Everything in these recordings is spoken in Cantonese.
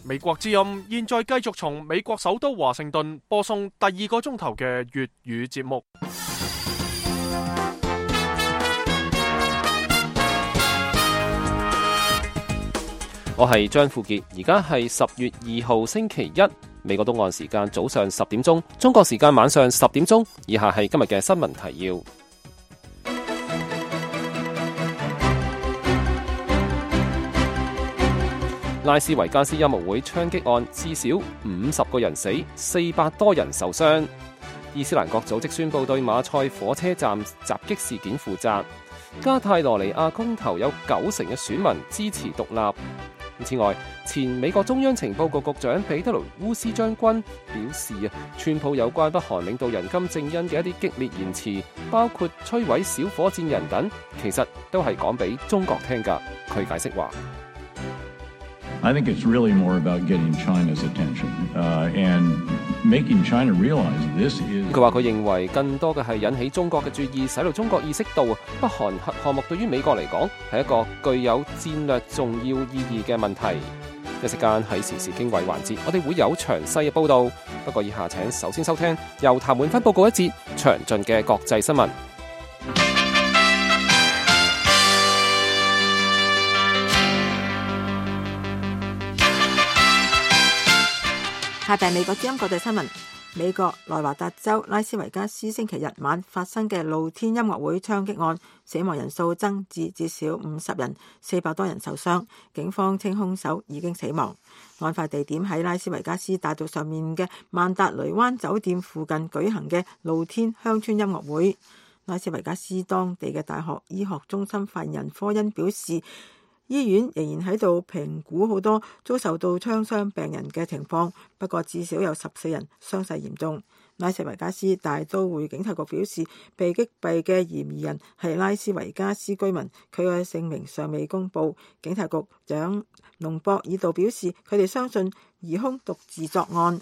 美國之音現在繼續從美國首都華盛頓播送第2個鐘頭嘅粵語節目。我係張富傑，而家係10月2號星期一，美國東岸時間早上10點鐘，中國時間晚上10點鐘。以下係今日嘅新聞提要。拉斯維加斯音樂會槍擊案至少50個人死，400多人受傷。伊斯蘭國組織宣布對馬賽火車站襲擊事件負責。加泰羅尼亞公投有90%嘅選民支持獨立。此外，前美國中央情報局局長彼得雷烏斯將軍表示川普有關北韓領導人金正恩嘅一啲激烈言辭，包括摧毀小火箭人等，其實都係講俾中國聽㗎。佢解釋話I think it's really more about getting China's attention and making China realize this is。佢話佢認為更多嘅係引起中國嘅注意，使到中國意識到北韓核項目對於美國嚟講係一個具有戰略重要意義嘅問題。一時間喺時事經緯環節，我哋會有詳細嘅報導。不過以下請首先收聽由譚滿芬報告一節詳盡嘅國際新聞。下邊美國之音國際新聞。美國內華達州拉斯維加斯星期日晚發生嘅露天音樂會槍擊案，死亡人數增至至少50人，400多人受傷。警方稱兇手已經死亡。案發地點喺拉斯維加斯大道上面嘅曼達雷灣酒店附近舉行嘅露天鄉村音樂會。拉斯維加斯當地嘅大學醫學中心發言人科恩表示，醫院仍然喺度評估好多遭受到槍傷病人嘅情況，不過至少有14人傷勢嚴重。拉斯維加斯大都會警察局表示，被擊斃嘅嫌疑人係拉斯維加斯居民，佢嘅姓名尚未公布。警察局長隆博爾道表示，佢哋相信疑兇獨自作案。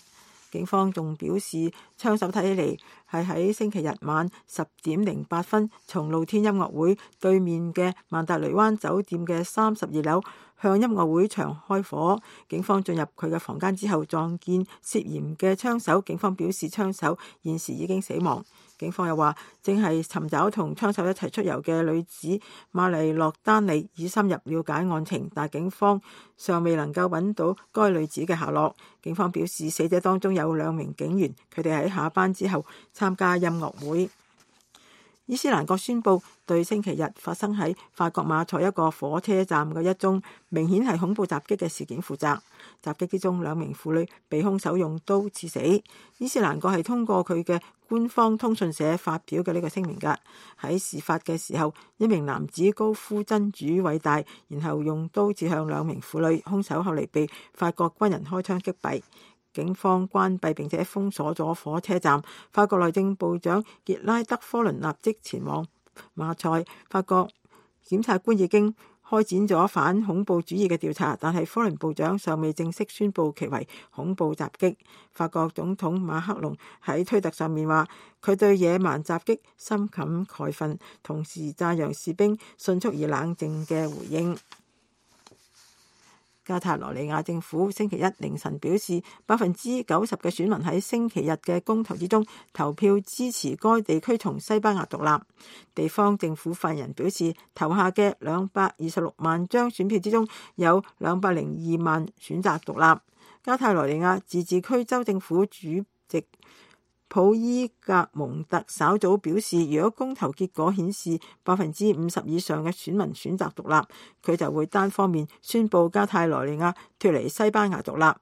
警方仲表示，槍手睇起嚟係喺星期日晚10點08分從露天音樂會對面嘅曼達雷灣酒店嘅32樓向音樂會場開火。警方進入佢嘅房間之後撞見涉嫌嘅槍手，警方表示槍手現時已經死亡。警方又話正係尋找同槍手一齊出遊嘅女子瑪麗洛丹尼，以深入了解案情，但警方尚未能夠揾到該女子嘅下落。警方表示死者當中有2名警員，佢哋喺下班之後參加音樂會。伊斯蘭國宣布對星期日發生喺法國馬賽一個火車站嘅一宗明顯係恐怖襲擊嘅事件負責。襲擊之中2名婦女被兇手用刀刺死。伊斯蘭國係通過佢嘅官方通訊社發表嘅呢個聲明㗎。喺事發嘅時候，一名男子高呼真主偉大，然後用刀指向2名婦女，兇手後嚟被法國軍人開槍擊斃。警方關閉並且封鎖咗火車站。法國內政部長傑拉德科倫立即前往馬賽。法國檢察官已經開展咗反恐怖主義嘅調查，但係科倫部長尚未正式宣布其為恐怖襲擊。法國總統馬克龍喺推特上面話，佢對野蠻襲擊深感慨憤，同時讚揚士兵迅速而冷靜嘅回應。加泰羅尼亞政府星期一凌晨表示，90%嘅選民喺星期日嘅公投之中投票支持該地區從西班牙獨立。地方政府發言人表示，投下嘅226萬張選票之中，有202萬選擇獨立。加泰羅尼亞自治區州政府主席普伊格蒙特稍早表示，如果公投結果顯示50%以上嘅選民選擇獨立，佢就會單方面宣布加泰羅尼亞脫離西班牙獨立。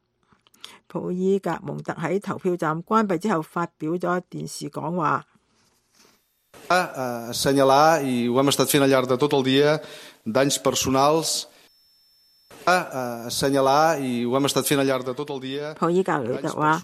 普伊格蒙特喺投票站關閉之後發表咗電視講話。assenyalar i ho hem estat fent al llarg de tot el dia danys personals assenyalar i ho hem estat fent al llarg de tot el dia。普伊格雷特話，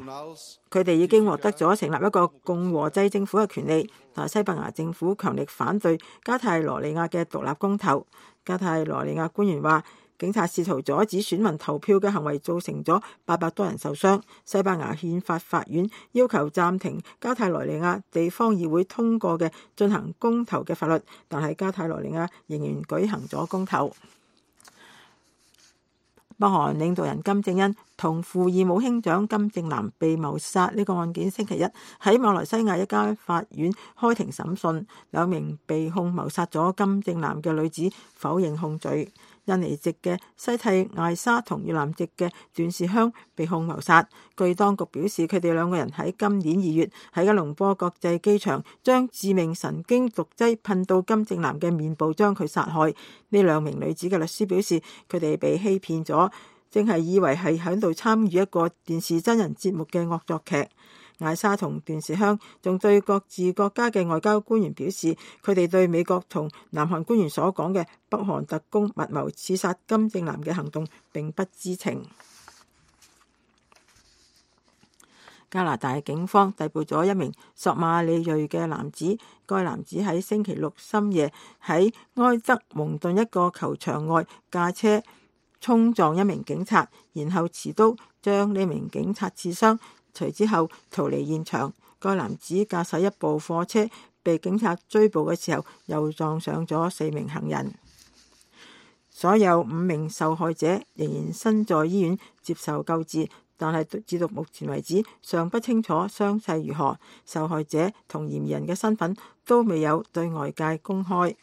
佢哋已經獲得咗成立一個共和制政府嘅權利，但西班牙政府強力反對加泰羅尼亞嘅獨立公投。加泰羅尼亞官員話，警察試圖阻止選民投票嘅行為造成咗800多人受傷。西班牙憲法法院要求暫停加泰羅尼亞地方議會通過嘅進行公投嘅法律，但係加泰羅尼亞仍然舉行咗公投。北韓領導人金正恩同父異母兄長金正男被謀殺呢個案件，星期一喺馬來西亞一間法院開庭審訊，兩名被控謀殺咗金正男嘅女子否認控罪。印尼籍嘅西蒂艾莎同越南籍嘅段氏香被控謀殺。據當局表示，佢哋兩個人喺今年2月喺吉隆坡國際機場將致命神經毒劑噴到金正男嘅面部，將佢殺害。呢兩名女子嘅律師表示，佢哋被欺騙咗，正係以為係喺度參與一個電視真人節目嘅惡作劇。艾莎同段氏香仲對各自國家嘅外交官員表示，佢哋對美國同南韓官員所講嘅北韓特工密謀刺殺金正男嘅行動並不知情。加拿大警方逮捕咗一名索馬里裔嘅男子，該男子喺星期六深夜喺埃德蒙頓一個球場外駕車衝撞一名警察，然後持刀將呢名警察刺傷，隨之後逃離現場。該男子駕駛一部貨車，被警察追捕嘅時候又撞上咗4名行人。所有5名受害者仍然身在醫院接受救治，但係至到目前為止尚不清楚傷勢如何。受害者同嫌疑人嘅身份都未有對外界公開。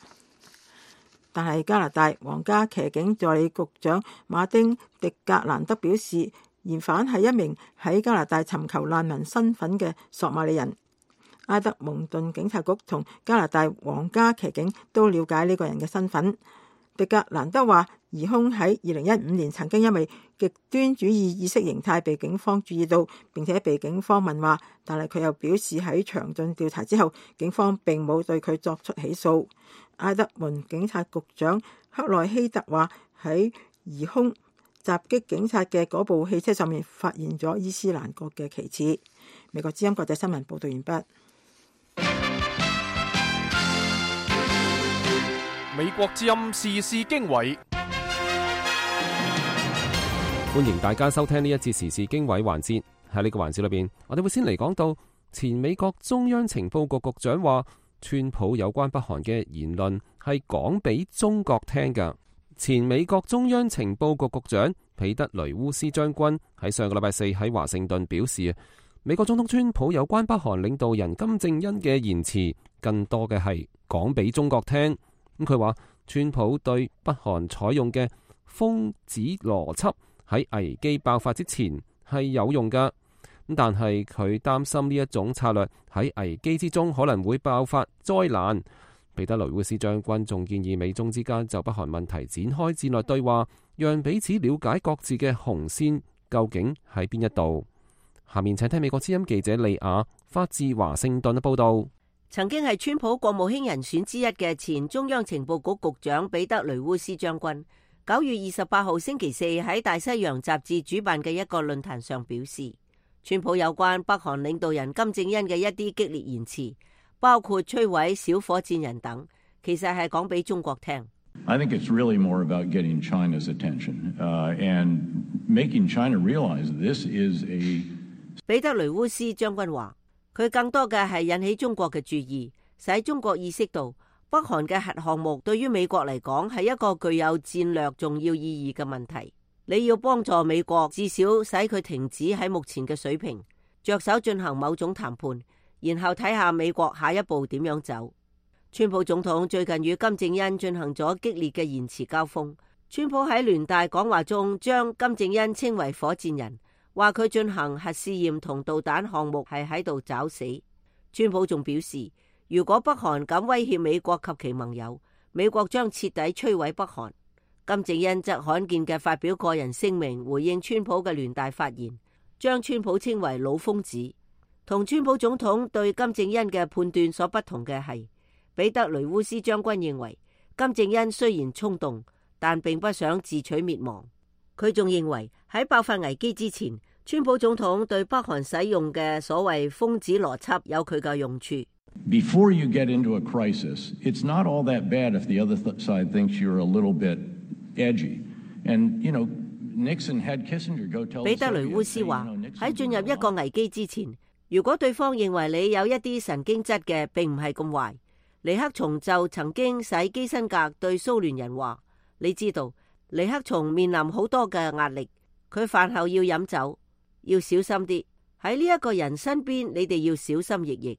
但係加拿大皇家騎警助理局長馬丁·迪格蘭德表示，嫌犯係一名喺加拿大尋求難民身份嘅索馬里人。埃德蒙頓警察局同加拿大皇家騎警都了解呢個人嘅身份。迪格蘭德話，疑兇喺2015年曾經因為極端主義意識形態被警方注意到，並且被警方問話，但係佢又表示喺詳盡調查之後，警方並冇對佢作出起訴。埃德蒙警察局長克內希特話，喺疑兇襲擊警察嘅嗰部汽車上面發現咗伊斯蘭國嘅旗幟。美國之音國際新聞報道完畢。美國之音時事經緯，歡迎大家收聽呢一節時事經緯環節。喺呢個環節裏邊，我哋會先嚟講到前美國中央情報局局長話，川普有關北韓嘅言論係講俾中國聽㗎。前美國中央情報局局長彼得雷烏斯將軍喺上個禮拜4喺華盛頓表示，美國總統川普有關北韓領導人金正恩嘅言辭，更多嘅係講俾中國聽。咁佢話，川普對北韓採用嘅瘋子邏輯喺危機爆發之前係有用㗎。咁但係佢擔心呢一種策略喺危機之中可能會爆發災難。彼得雷烏斯將軍仲建議美中之間就北韓問題展開戰略對話，讓彼此了解各自嘅紅線究竟喺邊一度。下面請聽美國之音記者利亞發自華盛頓嘅報道。曾經係川普國務卿人選之一嘅前中央情報局局長彼得雷烏斯將軍，9月28號星期4喺大西洋雜誌主辦嘅一個論壇上表示，川普有關北韓領導人金正恩嘅一啲激烈言辭，包括摧毀小火箭人等，其實係講俾中國聽。I think it's really more about getting China's attention and making China realize this is a。彼得雷烏斯將軍話，佢更多嘅係引起中國嘅注意，使中國意識到北韓嘅核項目對於美國嚟講係一個具有戰略重要意義嘅問題。你要幫助美國，至少使佢停止喺目前嘅水平，着手進行某種談判，然後睇下美國下一步點樣走。川普總統最近與金正恩進行咗激烈嘅言辭交鋒。川普喺聯大講話中將金正恩稱為火箭人，話佢進行核試驗同導彈項目係喺度找死。川普仲表示，如果北韓敢威脅美國及其盟友，美國將徹底摧毀北韓。金正恩則罕見嘅發表個人聲明回應川普嘅聯大發言，將川普稱為老瘋子。同川普總統對金正恩嘅判斷所不同嘅係，彼得雷烏斯將軍認為金正恩雖然衝動，但並不想自取滅亡。佢仲認為喺爆發危機之前，川普總統對北韓使用嘅所謂瘋子邏輯有佢嘅用處。Before you get into a crisis, it's not all that bad if the other side thinks you're a little bit edgy. And, you know, Nixon had Kissinger go tell the Soviets. 彼得雷烏斯話，喺進入一個危機之前，如果對方認為你有一啲神經質嘅，並唔係咁壞。尼克松就曾經使基辛格對蘇聯人話，你知道尼克松面臨好多嘅壓力，佢飯後要飲酒，要小心啲。喺呢一個人身邊，你哋要小心翼翼。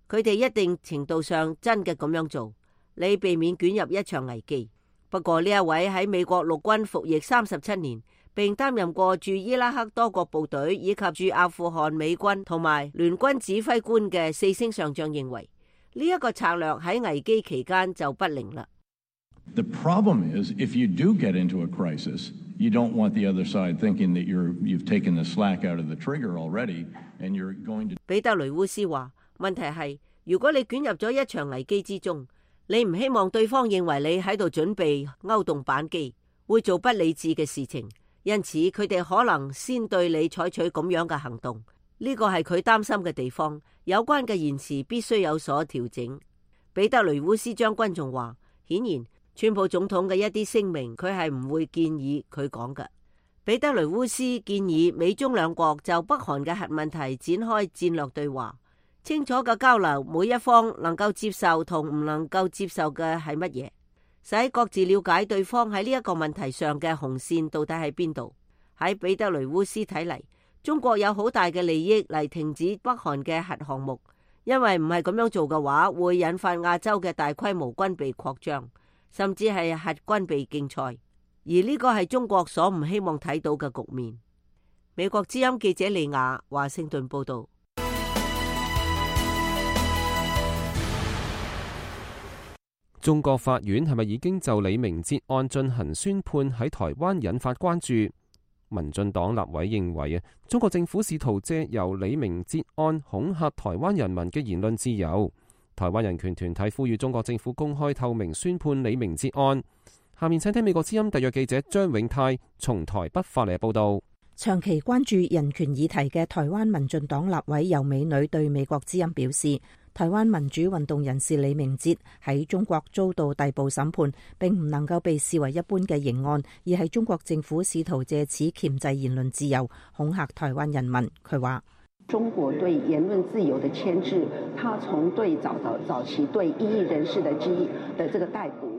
佢哋一定程度上真嘅咁樣做，你避免捲入一場危機。不過呢一位喺美國陸軍服役37年，並擔任過駐伊拉克多國部隊以及駐阿富汗美軍同埋聯軍指揮官嘅4星上將認為，呢一個策略喺危機期間就不靈啦。The problem is, if you do get into a crisis, you don't want the other side thinking that you've taken the slack out of the trigger already, and you're going to. 彼得雷烏斯話：問題係，如果你捲入咗一場危機之中，你唔希望對方認為你喺度準備勾動扳機，會做不理智嘅事情，因此佢哋可能先對你採取咁樣嘅行動。呢個係佢擔心嘅地方。有關嘅言辭必須有所調整。彼得雷烏斯將軍仲話：顯然，川普總統嘅一啲聲明，佢係唔會建議佢講嘅。彼得雷烏斯建議美中兩國就北韓嘅核問題展開戰略對話，清楚嘅交流每一方能夠接受同唔能夠接受嘅係乜嘢，使各自了解對方喺呢一個問題上嘅紅線到底喺邊度。喺彼得雷烏斯睇嚟，中國有好大嘅利益嚟停止北韓嘅核項目，因為唔係咁樣做嘅話，會引發亞洲嘅大規模軍備擴張，甚至係核軍備競賽，而呢個係中國所唔希望睇到嘅局面。美國之音記者利亞華盛頓報道。中國法院係咪已經就李明哲案進行宣判，喺台灣引發關注？民進黨立委認為中國政府試圖借由李明哲案恐嚇台灣人民嘅言論自由。台灣人權團體呼籲中國政府公開透明宣判李明哲案。下面請聽美國之音特約記者張永泰從台北發嚟報道。長期關注人權議題嘅台灣民進黨立委游美女對美國之音表示，台灣民主運動人士李明哲喺中國遭到逮捕審判，並唔能夠被視為一般嘅刑案，而係中國政府試圖借此鉗制言論自由，恐嚇台灣人民。佢話：中國對言論自由的牽制，他從對早期對異議人士的這個逮捕。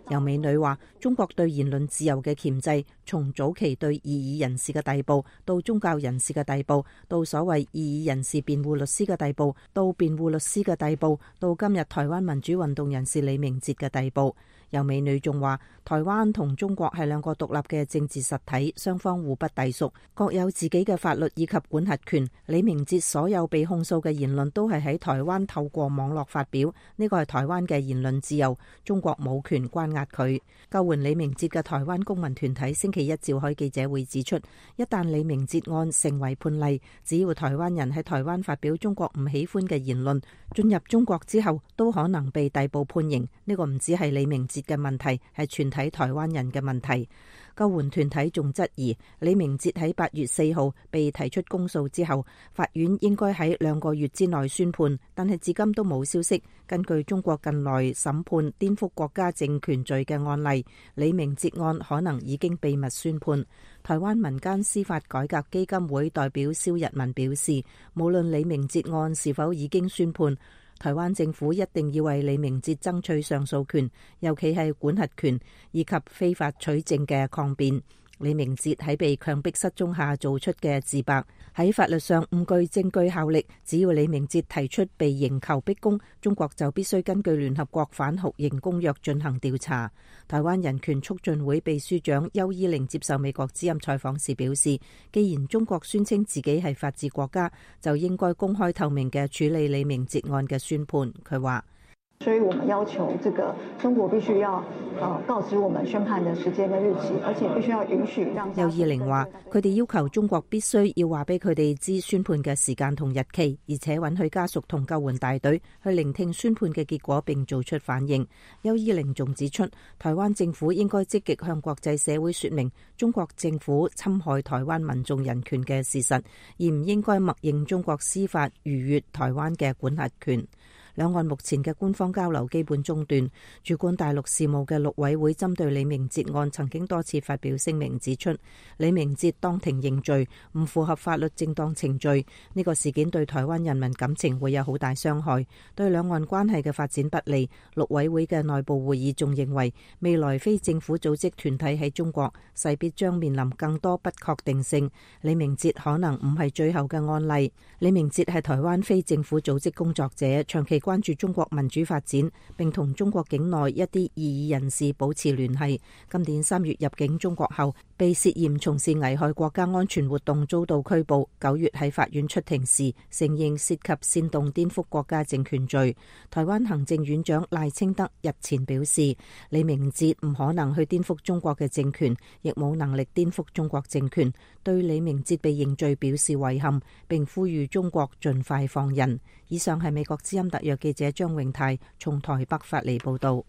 游美女話：中國對言論自由嘅鉗制，從早期對異議人士嘅逮捕，到宗教人士嘅逮捕，到所謂異議人士辯護律師嘅逮捕，到辯護律師嘅逮捕，到今日台灣民主運動人士李明哲嘅逮捕。游美女仲話：台灣同中國係兩個獨立嘅政治實體，雙方互不隸屬，各有自己嘅法律以及管轄權。李明哲所有被控訴嘅言論都係喺台灣透過網絡發表，呢個係台灣嘅言論自由，中國冇權關押佢。救援李明哲嘅台灣公民團體星期一召開記者會指出，一旦李明哲案成為判例，只要台灣人喺台灣發表中國唔喜歡嘅言論，進入中國之後都可能被逮捕判刑。呢個唔只係李明哲嘅問題，係全體台灣人嘅問題。救援團體仲質疑李明哲喺8月4號被提出公訴之後，法院應該喺2個月之內宣判，但係至今都冇消息。根據中國近來審判顛覆國家政權罪嘅案例，李明哲案可能已經秘密宣判。台灣民間司法改革基金會代表蕭日文表示，無論李明哲案是否已經宣判，台灣政府一定要為李明哲爭取上訴權，尤其係管轄權以及非法取證嘅抗辯。李明哲喺被強迫失蹤下做出嘅自白，喺法律上唔具證據效力。只要李明哲提出被刑求逼供，中國就必須根據聯合國反酷刑公約進行調查。台灣人權促進會秘書長邱依玲接受美國之音採訪時表示，既然中國宣稱自己係法治國家，就應該公開透明嘅處理李明哲案嘅宣判。佢話：所以我們要求這個中國必須要告知我們宣判的時間的日期，而且必須要允許讓。邱依玲話：佢哋要求中國必須要話俾佢哋知宣判嘅時間同日期，而且允許家屬同救援大隊去聆聽宣判嘅結果並做出反應。邱依玲仲指出，台灣政府應該積極向國際社會說明中國政府侵害台灣民眾人權嘅事實，而唔應該默認中國司法逾越台灣嘅管轄權。兩岸目前嘅官方交流基本中斷。主管大陸事務嘅陸委會針對李明哲案曾經多次發表聲明，指出李明哲當庭認罪，唔符合法律正當程序。呢個事件對台灣人民感情會有好大傷害，對兩岸關係嘅發展不利。陸委會嘅內部會議仲認為，未來非政府組織團體喺中國勢必將面臨更多不確定性。李明哲可能唔係最後嘅案例。李明哲係台灣非政府組織工作者，長期關注中國民主發展，並同中國境內一啲異議人士保持聯繫。今年3月入境中國後，被涉嫌從事危害國家安全活動遭到拘捕。9月喺法院出庭時，承認涉及煽動顛覆國家政權罪。台灣行政院長賴清德日前表示，李明哲唔可能去顛覆中國嘅政權，亦冇能力顛覆中國政權，對李明哲被認罪表示遺憾，並呼籲中國盡快放人。以上係美國之音特約記者張永泰從台北發嚟報道。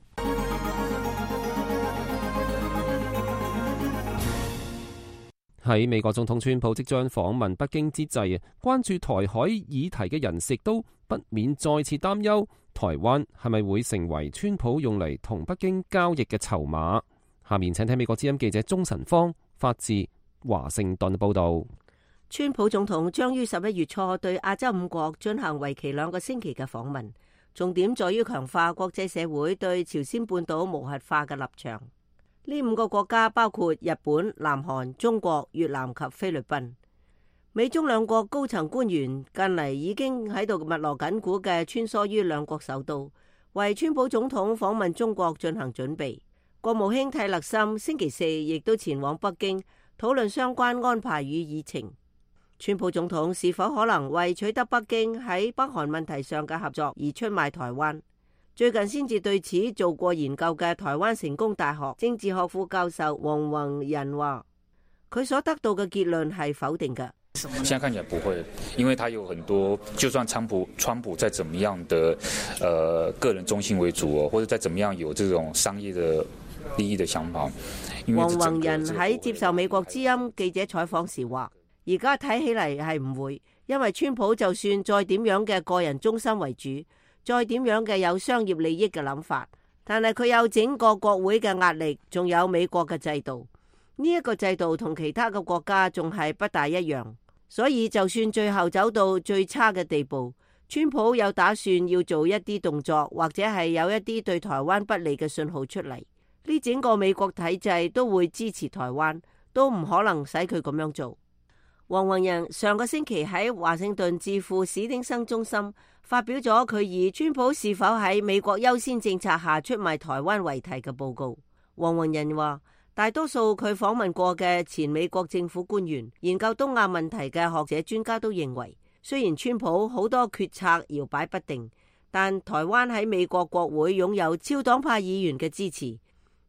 喺美國總統川普即將訪問北京之際，關注台海議題嘅人士都不免再次擔憂，台灣係咪會成為川普用嚟同北京交易嘅籌碼？下面請聽美國之音記者鍾晨芳發自華盛頓報道。川普總統將於11月初對亞洲5國進行為期2個星期嘅訪問，重點在於強化國際社會對朝鮮半島無核化嘅立場。呢5個國家包括日本、南韓、中國、越南及菲律賓。美中兩國高層官員近嚟已經喺度密鑼緊鼓嘅穿梭於兩國首都，為川普總統訪問中國進行準備。國務卿蒂勒森星期4亦都前往北京討論相關安排與議程。川普總統是否可能為取得北京喺北韓問題上嘅合作而出賣台灣？最近先至對此做過研究嘅台灣成功大學政治學副教授黃宏仁話，佢所得到嘅結論係否定嘅。現在看起來不會，因為他有很多，就算川普再怎麼樣的個人中心為主，或者再怎麼樣有這種商業的利益的想法。黃宏仁喺接受美國之音記者採訪時話，而家睇起嚟係唔會，因為川普就算再點樣嘅個人中心為主，再點樣嘅有商業利益嘅諗法，但係佢有整個國會嘅壓力，仲有美國嘅制度。呢一個制度同其他嘅國家仲係不大一樣，所以就算最後走到最差嘅地步，川普有打算要做一啲動作，或者係有一啲對台灣不利嘅信號出嚟，呢整個美國體制都會支持台灣，都唔可能使佢咁樣做。黃宏仁上個星期喺華盛頓智庫史丁生中心發表咗佢以川普是否喺美國優先政策下出賣台灣為題嘅報告。黃宏仁話，大多數佢訪問過嘅前美國政府官員、研究東亞問題嘅學者專家都認為，雖然川普好多決策搖擺不定，但台灣喺美國國會擁有超黨派議員嘅支持，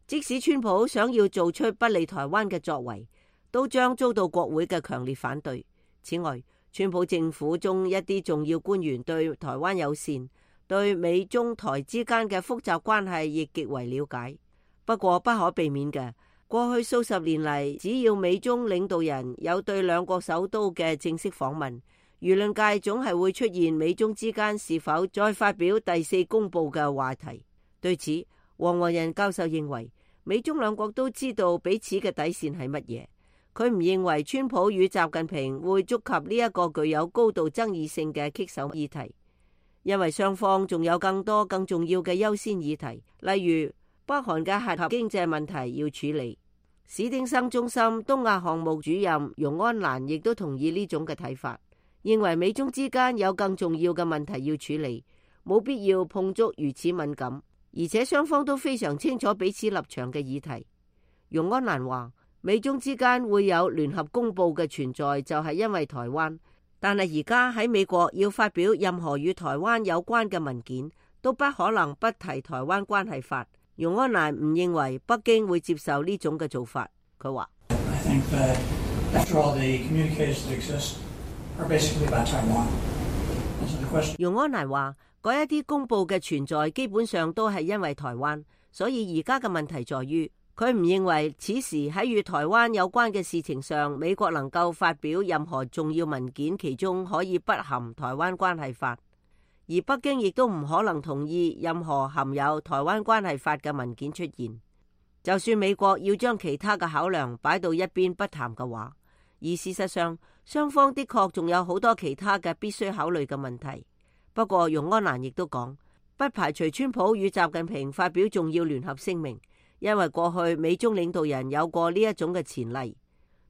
即使川普想要做出不利台灣嘅作為，都將遭到國會嘅強烈反對。此外，川普政府中一啲重要官員對台灣友善，對美中台之間嘅複雜關係亦極為了解。不過不可避免嘅，過去數十年嚟，只要美中領導人有對兩國首都嘅正式訪問，輿論界總係會出現美中之間是否再發表第4公報嘅話題。對此，黃宏仁教授認為，美中兩國都知道彼此嘅底線係乜嘢。佢唔認為川普與習近平會觸及呢一個具有高度爭議性嘅棘手議題，因為雙方仲有更多更重要嘅優先議題，例如北韓嘅核經濟問題要處理。史丁生中心東亞項目主任容安蘭亦都同意呢種嘅睇法，認為美中之間有更重要嘅問題要處理，冇必要碰觸如此敏感，而且雙方都非常清楚彼此立場嘅議題。容安蘭話，美中之間會有聯合公報嘅存在，就係因為台灣。但係而家喺美國要發表任何與台灣有關嘅文件，都不可能不提台灣關係法。容安蘭唔認為北京會接受呢種嘅做法。佢話：容安蘭話，嗰一啲公報嘅存在基本上都係因為台灣，所以而家嘅問題在於，佢唔認為此時喺與台灣有關嘅事情上，美國能夠發表任何重要文件，其中可以不含台灣關係法。而北京亦都唔可能同意任何含有台灣關係法嘅文件出現。就算美國要將其他嘅考量擺到一邊不談嘅話，而事實上雙方的確仲有好多其他嘅必須考慮嘅問題。不過容安蘭亦都講，不排除川普與習近平發表重要聯合聲明，因為過去美中領導人有過呢一種嘅前例。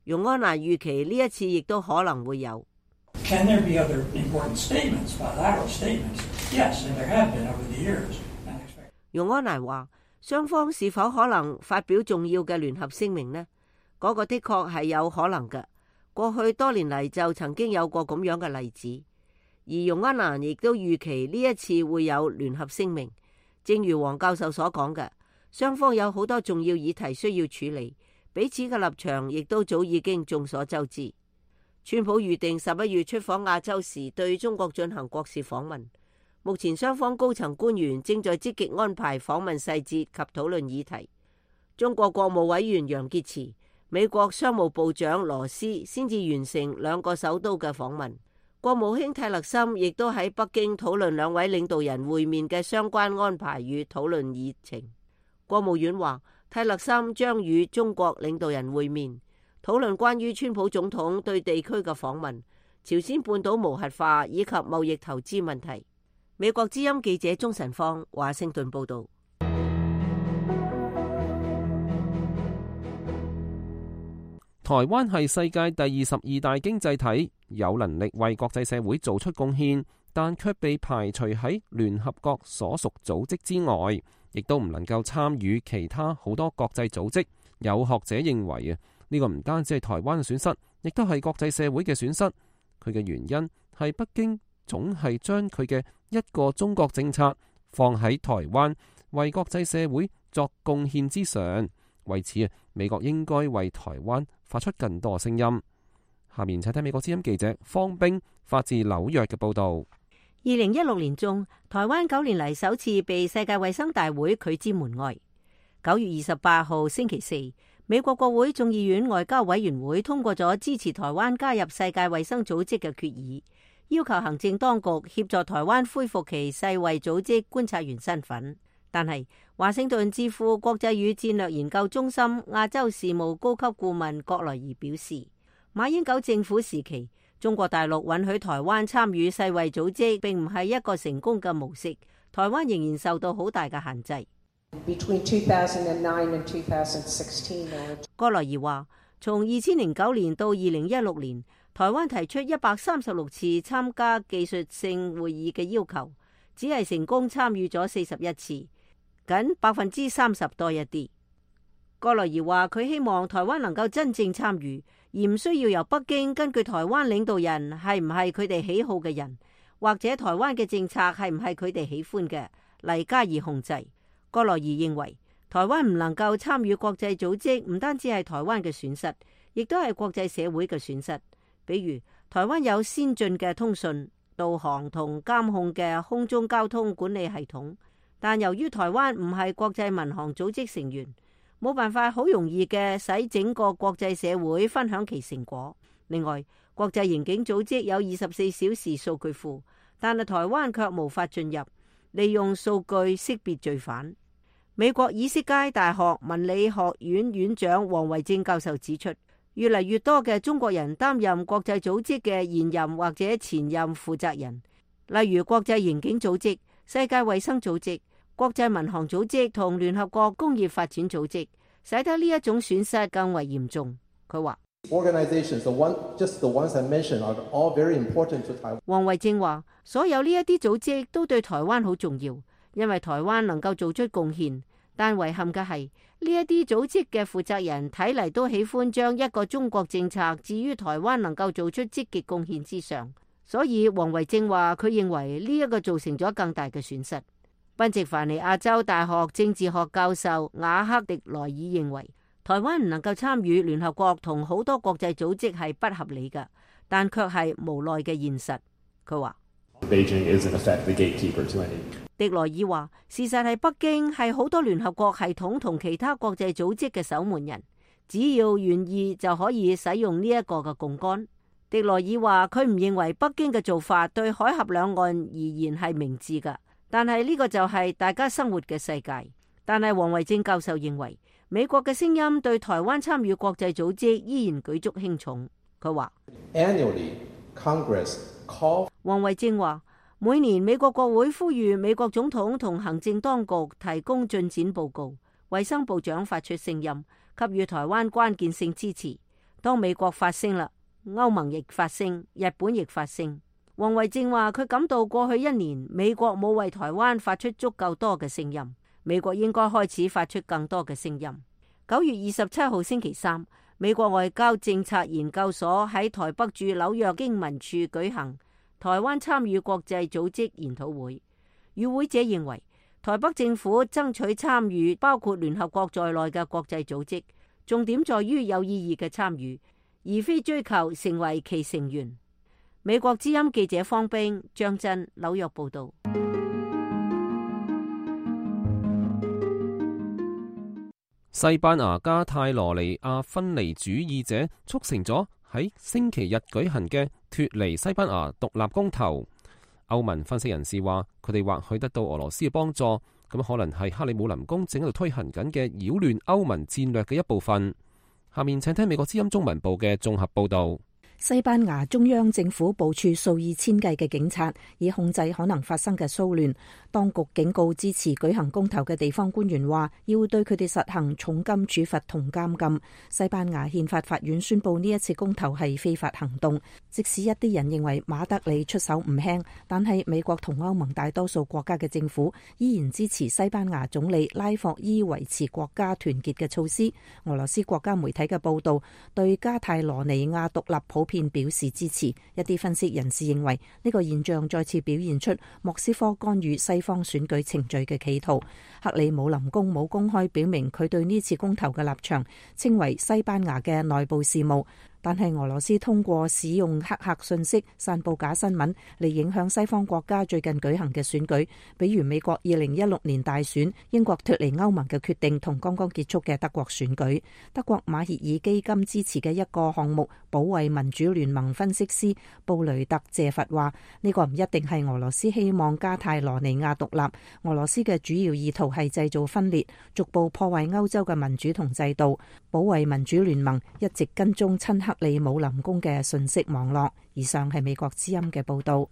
容安蘭預期呢一次亦都可能會有。Can there be other important statements, bilateral statements? Yes, and there have been over the years. 容安蘭話，雙方是否可能發表重要嘅聯合聲明呢？嗰個的確係有可能嘅。過去多年嚟就曾經有過咁樣嘅例子。而容安蘭亦都預期呢一次會有聯合聲明。正如黃教授所講嘅，雙方有好多重要議題需要處理，彼此嘅立場亦都早已經眾所周知。川普預定11月出訪亞洲時對中國進行國事訪問，目前雙方高層官員正在積極安排訪問細節及討論議題。中國國務委員楊潔篪、美國商務部長羅斯先至完成兩個首都嘅訪問，國務卿泰勒森亦都喺北京討論兩位領導人會面嘅相關安排與討論議程。國務院話，泰勒森將與中國領導人會面，討論關於川普總統對地區嘅訪問、朝鮮半島無核化以及貿易投資問題。美國之音記者鍾晨芳華盛頓報道。台灣係世界第22大經濟體，有能力為國際社會做出貢獻，但卻被排除喺聯合國所屬組織之外，亦都唔能夠參與其他好多國際組織。有學者認為呢個唔單止係台灣嘅損失，亦都係國際社會嘅損失。佢嘅原因係北京總係將佢嘅一個中國政策放喺台灣為國際社會作貢獻之上。為此美國應該為台灣發出更多聲音。下面請睇美國之音記者方冰發自紐約嘅報道。2016年中，台灣9年嚟首次被世界衛生大會拒之門外。9月28號星期四，美國國會眾議院外交委員會通過咗支持台灣加入世界衛生組織嘅決議，要求行政當局協助台灣恢復其世衛組織觀察員身份。但係華盛頓智庫國際與戰略研究中心亞洲事務高級顧問郭來儀表示，馬英九政府時期，中國大陸允許台灣參與世衛組織並唔係一個成功嘅模式，台灣仍然受到好大嘅限制。郭來儀話，從2009年到2016年，台灣提出136次參加技術性會議嘅要求，只係成功參與咗41次，僅30%多一啲。郭來儀話，佢希望台灣能夠真正參與，而唔需要由北京根據台灣領導人係唔係佢哋喜好嘅人，或者台灣嘅政策係唔係佢哋喜歡嘅嚟加以控制。郭來儀認為，台灣唔能夠參與國際組織，唔單止係台灣嘅損失，亦都係國際社會嘅損失。比如，台灣有先進嘅通訊、導航同監控嘅空中交通管理系統，但由於台灣唔係國際民航組織成員，冇辦法好容易嘅使整個國際社會分享其成果。另外，國際刑警組織有24小時數據庫，但係台灣卻無法進入，利用數據識別罪犯。美國以斯街大學文理學院院長王維正教授指出，越嚟越多嘅中國人擔任國際組織嘅現任或者前任負責人，例如國際刑警組織、世界衛生組織、國際民航組織同聯合國工業發展組織，使得呢一種損失更為嚴重。佢話，王維正話，所有呢一啲組織都對台灣好重要，因為台灣能夠做出貢獻，但遺憾嘅係呢一啲組織嘅負責人睇嚟都喜歡將一個中國政策置於台灣能夠做出積極貢獻之上，所以王維正話佢認為呢一個造成咗更大嘅損失。賓夕凡尼亞州大學政治學教授瓦克迪萊爾認為，台灣唔能夠參與聯合國同好多國際組織係不合理嘅，但卻係無奈嘅現實。佢話，迪萊爾話，事實係北京係好多聯合國系統同其他國際組織嘅守門人，只要願意就可以使用呢一個嘅槓桿。迪羅爾話佢唔認為北京嘅做法對海峽兩岸而言係明智㗎，但係呢個就係大家生活嘅世界。但係黃維正教授認為美國嘅聲音對台灣參與國際組織依然舉足輕重。佢話黃維正話每年美國國會呼籲美國總統同行政當局提供進展報告，衛生部長發出聲音給予台灣關鍵性支持。當美國發聲啦，歐盟亦發聲，日本亦發聲。黃維正話佢感到過去一年美國冇為台灣發出足夠多嘅聲音，美國應該開始發出更多嘅聲音。9月27號星期三，美國外交政策研究所喺台北駐紐約經文處舉行台灣參與國際組織研討會，與會者認為台北政府爭取參與包括聯合國在內嘅國際組織，重點在於有意義嘅參與，而非追求成為其成員。美國之音記者方冰、張真紐約報道。西班牙加泰羅尼亞分離主義者促成咗喺星期日舉行嘅脫離西班牙獨立公投。歐盟分析人士話，佢哋或許得到俄羅斯嘅幫助，咁可能係克里姆林宮正喺度推行緊嘅擾亂歐盟戰略嘅一部分。下面請聽美國之音中文部嘅綜合報道。西班牙中央政府部署數以千計嘅警察，以控制可能發生嘅騷亂。當局警告支持舉行公投嘅地方官員話，要對佢哋實行重金處罰同監禁。西班牙憲法法院宣布呢一次公投係非法行動。即使一啲人認為馬德里出手唔輕，但係美國同歐盟大多數國家嘅政府依然支持西班牙總理拉霍伊維持國家團結嘅措施。俄羅斯國家媒體嘅報導對加泰羅尼亞獨立普遍表示支持。一啲分析人士認為呢個現象再次表現出莫斯科干預西方選舉程序嘅企圖。克里姆林宮冇公開表明佢對呢次公投嘅立場，稱為西班牙嘅內部事務。但係俄羅斯通過使用黑客信息散佈假新聞嚟影響西方國家最近舉行嘅選舉，比如美國2016年大選、英國脫離歐盟嘅決定同剛剛結束嘅德國選舉。德國馬歇爾基金支持嘅一個項目保衛民主聯盟分析師布雷特謝佛話，呢個唔一定係俄羅斯希望加泰羅尼亞獨立，俄羅斯嘅主要意圖係製造分裂，逐步破壞歐洲嘅民主同制度。保衛民主聯盟一直跟蹤親克里姆林宮嘅信息網絡。以上係美國之音嘅報道。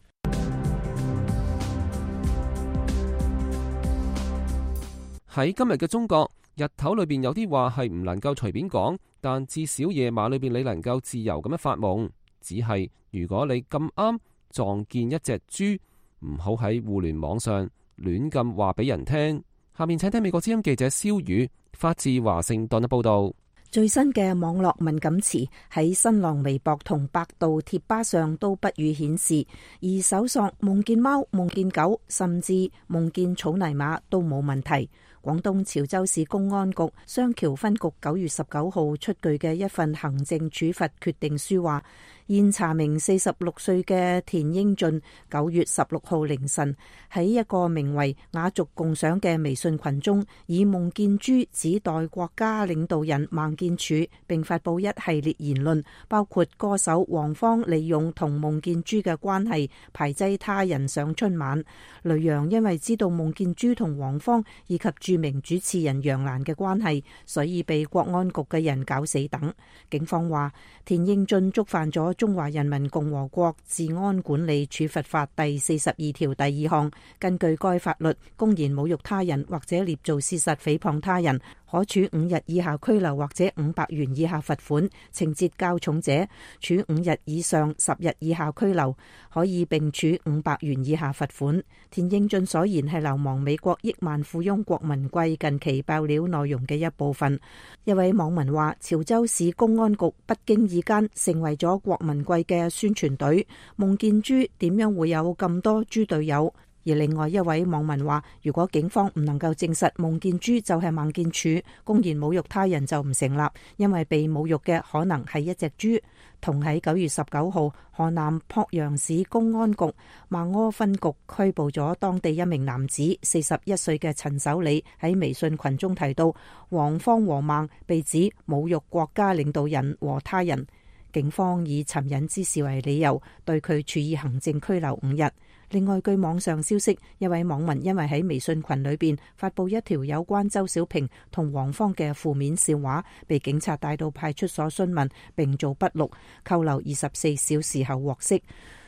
喺今日嘅中國，日頭裏邊有啲話係唔能夠隨便講，但至少夜晚裏邊你能夠自由咁樣發夢。只係如果你咁啱撞見一隻豬，唔好喺互聯網上亂咁話俾人聽。下面請聽美國之音記者蕭宇發自華盛頓嘅報道。最新嘅網絡敏感詞喺新浪微博同百度貼吧上都不予顯示，而搜索夢見貓、夢見狗，甚至夢見草泥馬都冇問題。廣東潮州市公安局雙橋分局9月19號出具嘅一份行政處罰決定書話，現查明46歲嘅田英俊9月16號凌晨喺一個名為雅俗共賞嘅微信群中，以夢見豬指代國家領導人孟建柱，並發布一系列言論，包括歌手黃芳利用同夢見豬嘅關係排擠他人上春晚，雷洋因為知道夢見豬同黃芳以及著名主持人楊瀾嘅關係，所以被國安局嘅人搞死等。警方話田英俊觸犯咗中華人民共和國治安管理處罰法第42條第2項，根據該法律，公然侮辱他人或者捏造事實誹謗他人，可處5日以下拘留或者500元以下罰款，情節較重者處5日以上10日以下拘留，可以並處500元以下罰款。田英俊所言係流亡美國億萬富翁郭文貴近期爆料內容嘅一部分。一位網民話，潮州市公安局不經意間成為咗郭文貴嘅宣傳隊，夢見豬點樣會有咁多豬隊友？而另外一位網民話，如果警方唔能夠證實夢見豬就係孟建柱，公然侮辱他人就唔成立，因為被侮辱嘅可能係一隻豬。同喺9月19號，河南濮陽市公安局孟柯分局拘捕咗當地一名男子41歲嘅陳守禮，喺微信群中提到黃芳和孟被指侮辱國家領導人和他人。警方以尋釁滋事為理由，對佢處以行政拘留5日。另外，據網上消息，一位網民因為喺微信群裏邊發佈一條有關周小平同黃芳嘅負面笑話，被警察帶到派出所詢問並做筆錄，扣留24小時後獲釋。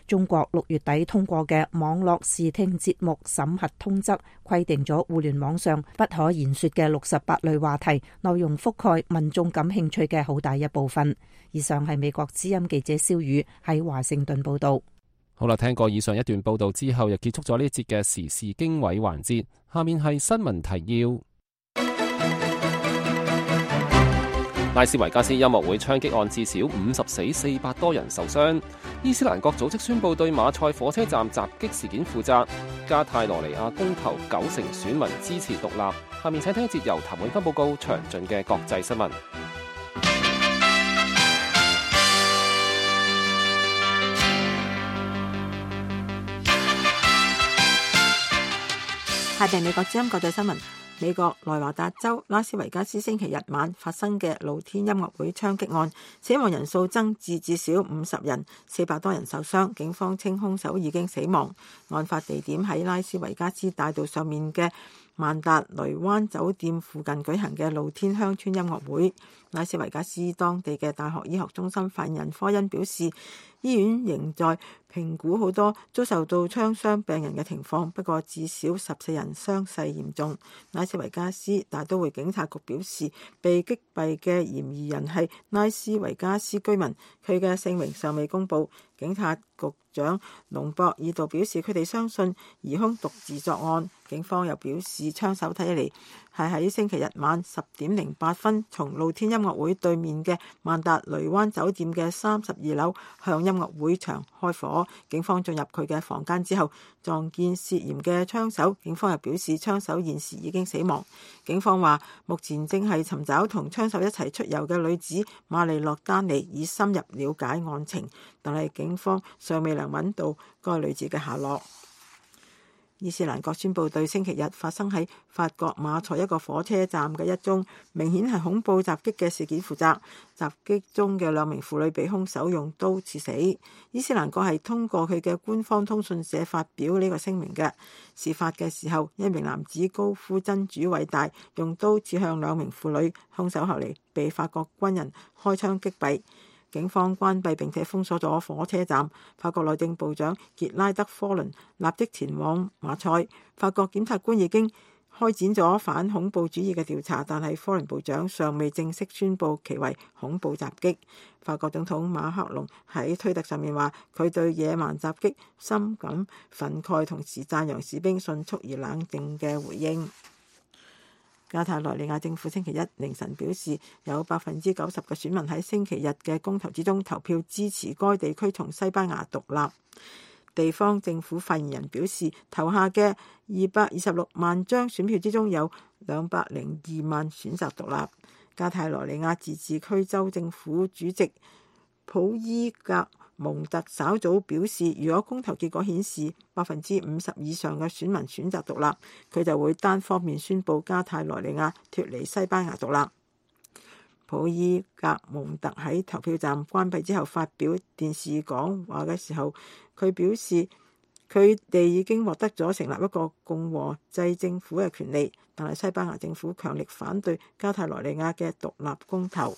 中國6月底通過嘅網絡視聽節目審核通則規定咗互聯網上不可言說嘅68類話題，內容覆蓋民眾感興趣嘅好大一部分。以上係美國之音記者蕭宇喺華盛頓報道。好啦，聽過以上一段報道之後，又結束咗呢節嘅時事經緯環節。下面係新聞提要。拉斯維加斯音樂會槍擊案至少50死400多人受傷。伊斯蘭國組織宣布對馬賽火車站襲擊事件負責。加泰羅尼亞公投90%選民支持獨立。下面請聽一節由譚永芬報告詳盡嘅國際新聞。下邊美國之音國際新聞。美國內華達州拉斯維加斯星期日晚發生嘅露天音樂會槍擊案，死亡人數增至至少50人，400多人受傷。警方稱兇手已經死亡。案發地點喺拉斯維加斯大道上面嘅曼達雷灣酒店附近舉行嘅露天鄉村音樂會。拉斯維加斯當地嘅大學醫學中心發言人科恩表示，醫院仍在評估好多遭受到槍傷病人嘅情況，不過至少14人傷勢嚴重。拉斯維加斯大都會警察局表示，被擊斃嘅嫌疑人係拉斯維加斯居民，佢嘅姓名尚未公佈。警察局長隆博爾道表示，佢哋相信疑兇獨自作案。警方又表示，槍手睇起嚟係喺星期日晚10點08分從露天音樂會對面嘅曼達雷灣酒店嘅32樓向音樂會場開火。警方進入佢嘅房間之後，撞見涉嫌嘅槍手。警方又表示，槍手現時已經死亡。警方話，目前正係尋找同槍手一齊出遊嘅女子瑪麗洛丹尼，以深入了解案情，但係警方尚未能揾到該女子嘅下落。伊斯蘭國宣布對星期日發生喺法國馬賽一個火車站嘅一宗明顯係恐怖襲擊嘅事件負責。襲擊中嘅2名婦女被兇手用刀刺死。伊斯蘭國係通過佢嘅官方通訊社發表呢個聲明嘅。事發嘅時候，一名男子高呼真主偉大，用刀刺向2名婦女，兇手後嚟被法國軍人開槍擊斃。警方關閉並且封鎖咗火車站。法國內政部長傑拉德科倫立即前往馬賽。法國檢察官已經開展咗反恐怖主義嘅調查，但係科倫部長尚未正式宣布其為恐怖襲擊。法國總統馬克龍喺推特上面話，佢對野蠻襲擊深感憤慨，同時讚揚士兵迅速而冷靜嘅回應。加泰羅尼亞政府星期一凌晨表示，有90%嘅選民喺星期日嘅公投之中投票支持該地區從西班牙獨立。地方政府發言人表示，投下嘅226萬張選票之中有202萬選擇獨立。加泰羅尼亞自治區州政府主席普伊格蒙特稍早表示，如果公投結果顯示50%以上嘅選民選擇獨立，佢就會單方面宣布加泰羅尼亞脫離西班牙獨立。普伊格蒙特喺投票站關閉之後發表電視講話嘅時候，佢表示佢哋已經獲得咗成立一個共和制政府嘅權利，但係西班牙政府強力反對加泰羅尼亞嘅獨立公投。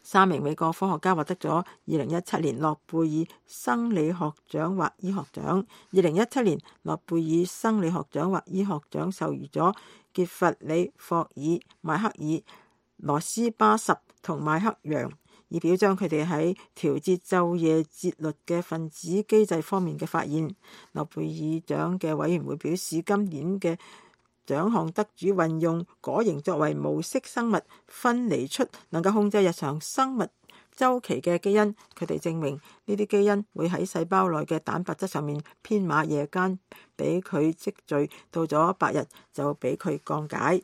3名美國科學家獲得咗2017年諾貝爾生理學獎或醫學獎。2017年諾貝爾生理學獎或醫學獎授予咗傑弗里霍爾、邁克爾羅斯巴什同邁克楊，以表彰佢哋喺調節晝夜節律嘅分子機制方面嘅發現。諾貝爾獎嘅委員會表示，今年嘅獎項得主運用果蠅作為模式生物分離出能夠控制日常生物週期嘅基因。佢哋證明呢啲基因會喺細胞內嘅蛋白質上面編碼，夜間俾佢積聚，到咗白日就俾佢降解。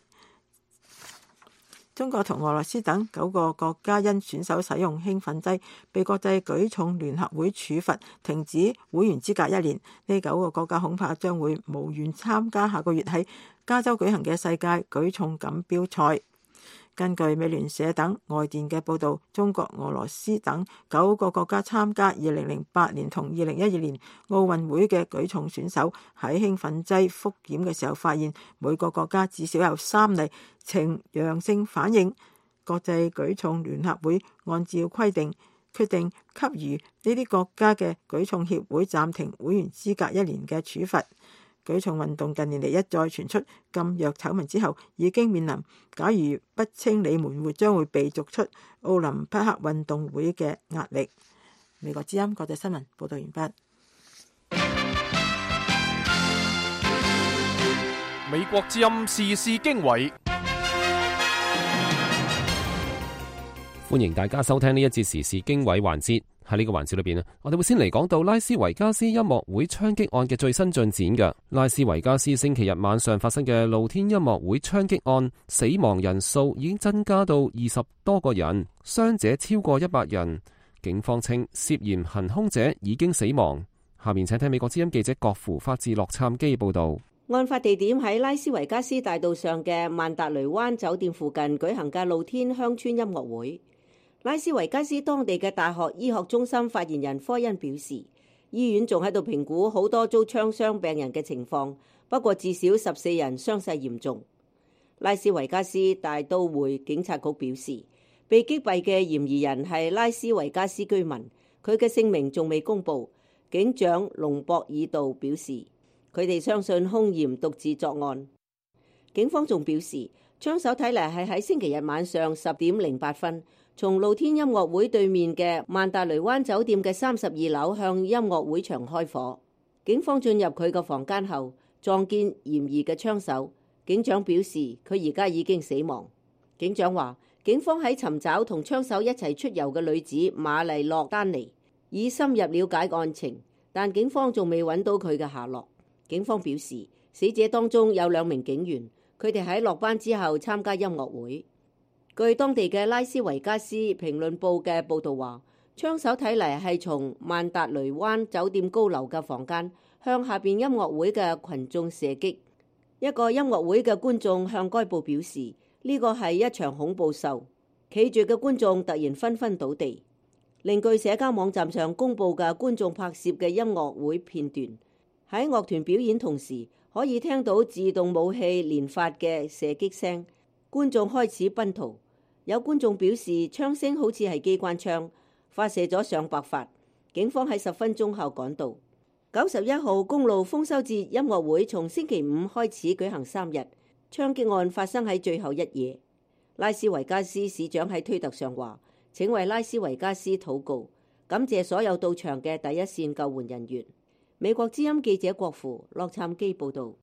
中國同俄羅斯等9個國家因選手使用興奮劑被國際舉重聯合會處罰，停止會員資格1年。呢9個國家恐怕將會無緣參加下個月喺加州舉行嘅世界舉重錦標賽。根據美聯社等外電嘅報導，中國、俄羅斯等9個國家參加2008年同2012年奧運會嘅舉重選手喺興奮劑復檢嘅時候，發現每個國家至少有3例呈陽性反應。國際舉重聯合會按照規定決定給予呢啲國家嘅舉重協會暫停會員資格1年嘅處罰。舉重運動近年嚟一再傳出禁藥醜聞之後，已經面臨假如不清理門戶將會被逐出奧林匹克運動會嘅壓力。美國之音國際新聞報道完畢。美國之音時事經緯，歡迎大家收聽呢一節時事經緯環節。喺呢個環節裏邊，我哋會先嚟講到拉斯維加斯音樂會槍擊案嘅最新進展嘅。拉斯維加斯星期日晚上發生嘅露天音樂會槍擊案，死亡人數已經增加到20多個人，傷者超過100人。警方稱涉嫌行兇者已經死亡。下面請聽美國之音記者郭芙發自洛杉磯報道。案發地點喺拉斯維加斯大道上嘅曼達雷灣酒店附近舉行嘅露天鄉村音樂會。拉斯維加斯當地嘅大學醫學中心發言人科恩表示，醫院仲喺度評估好多遭槍傷病人嘅情況，不過至少14人傷勢嚴重。拉斯維加斯大都會警察局表示，被擊斃嘅嫌疑人係拉斯維加斯居民，佢嘅姓名仲未公布。警長隆博爾道表示，佢哋相信兇嫌獨自作案。警方仲表示，槍手睇嚟係喺星期日晚上10點08分，從露天音樂會對面嘅曼達雷灣酒店嘅32樓向音樂會場開火。警方進入佢個房間後，撞見嫌疑嘅槍手。警長表示，佢而家已經死亡。警長話，警方喺尋找同槍手一齊出遊嘅女子瑪麗諾丹尼，以深入了解案情，但警方仲未揾到佢嘅下落。警方表示，死者當中有2名警員，佢哋喺落班之後參加音樂會。據當地嘅拉斯維加斯評論報嘅報導話，槍手睇嚟係從曼達雷灣酒店高樓嘅房間向下邊音樂會嘅群眾射擊。一個音樂會嘅觀眾向該報表示，呢個係一場恐怖秀，企住嘅觀眾突然紛紛倒地。另據社交網站上公佈嘅觀眾拍攝嘅音樂會片段，喺樂團表演同時可以聽到自動武器連發嘅射擊聲，觀眾開始奔逃。有觀眾表示，槍聲好似係機關槍，發射咗上百發。警方喺10分鐘後趕到。91號公路豐收節音樂會從星期5開始舉行3日，槍擊案發生喺最後一夜。拉斯維加斯市長喺推特上話，請為拉斯維加斯禱告，感謝所有到場嘅第一線救援人員。美國之音記者郭芙洛杉磯報道。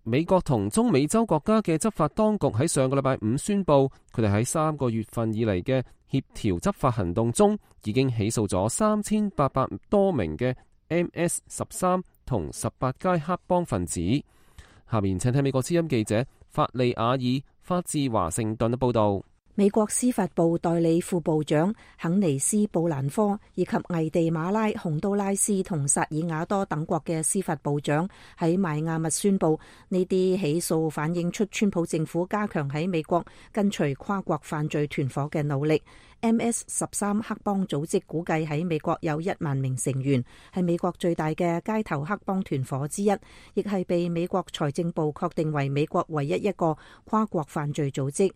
美國同中美洲國家嘅執法當局喺上個禮拜5宣布，佢哋喺3個月份以嚟嘅協調執法行動中，已經起訴咗3800多名嘅 MS-13同18街黑幫分子。下面請聽美國之音記者法利亞爾發自華盛頓嘅報道。美國司法部代理副部長肯尼斯布蘭科以及危地馬拉、洪都拉斯同薩爾瓦多等國嘅司法部長喺邁阿密宣布，呢啲起訴反映出川普政府加強喺美國跟隨跨國犯罪團伙嘅努力。MS-13 黑幫組織估計喺美國有1萬名成員，係美國最大嘅街頭黑幫團伙之一，亦係被美國財政部確定為美國唯一一個跨國犯罪組織。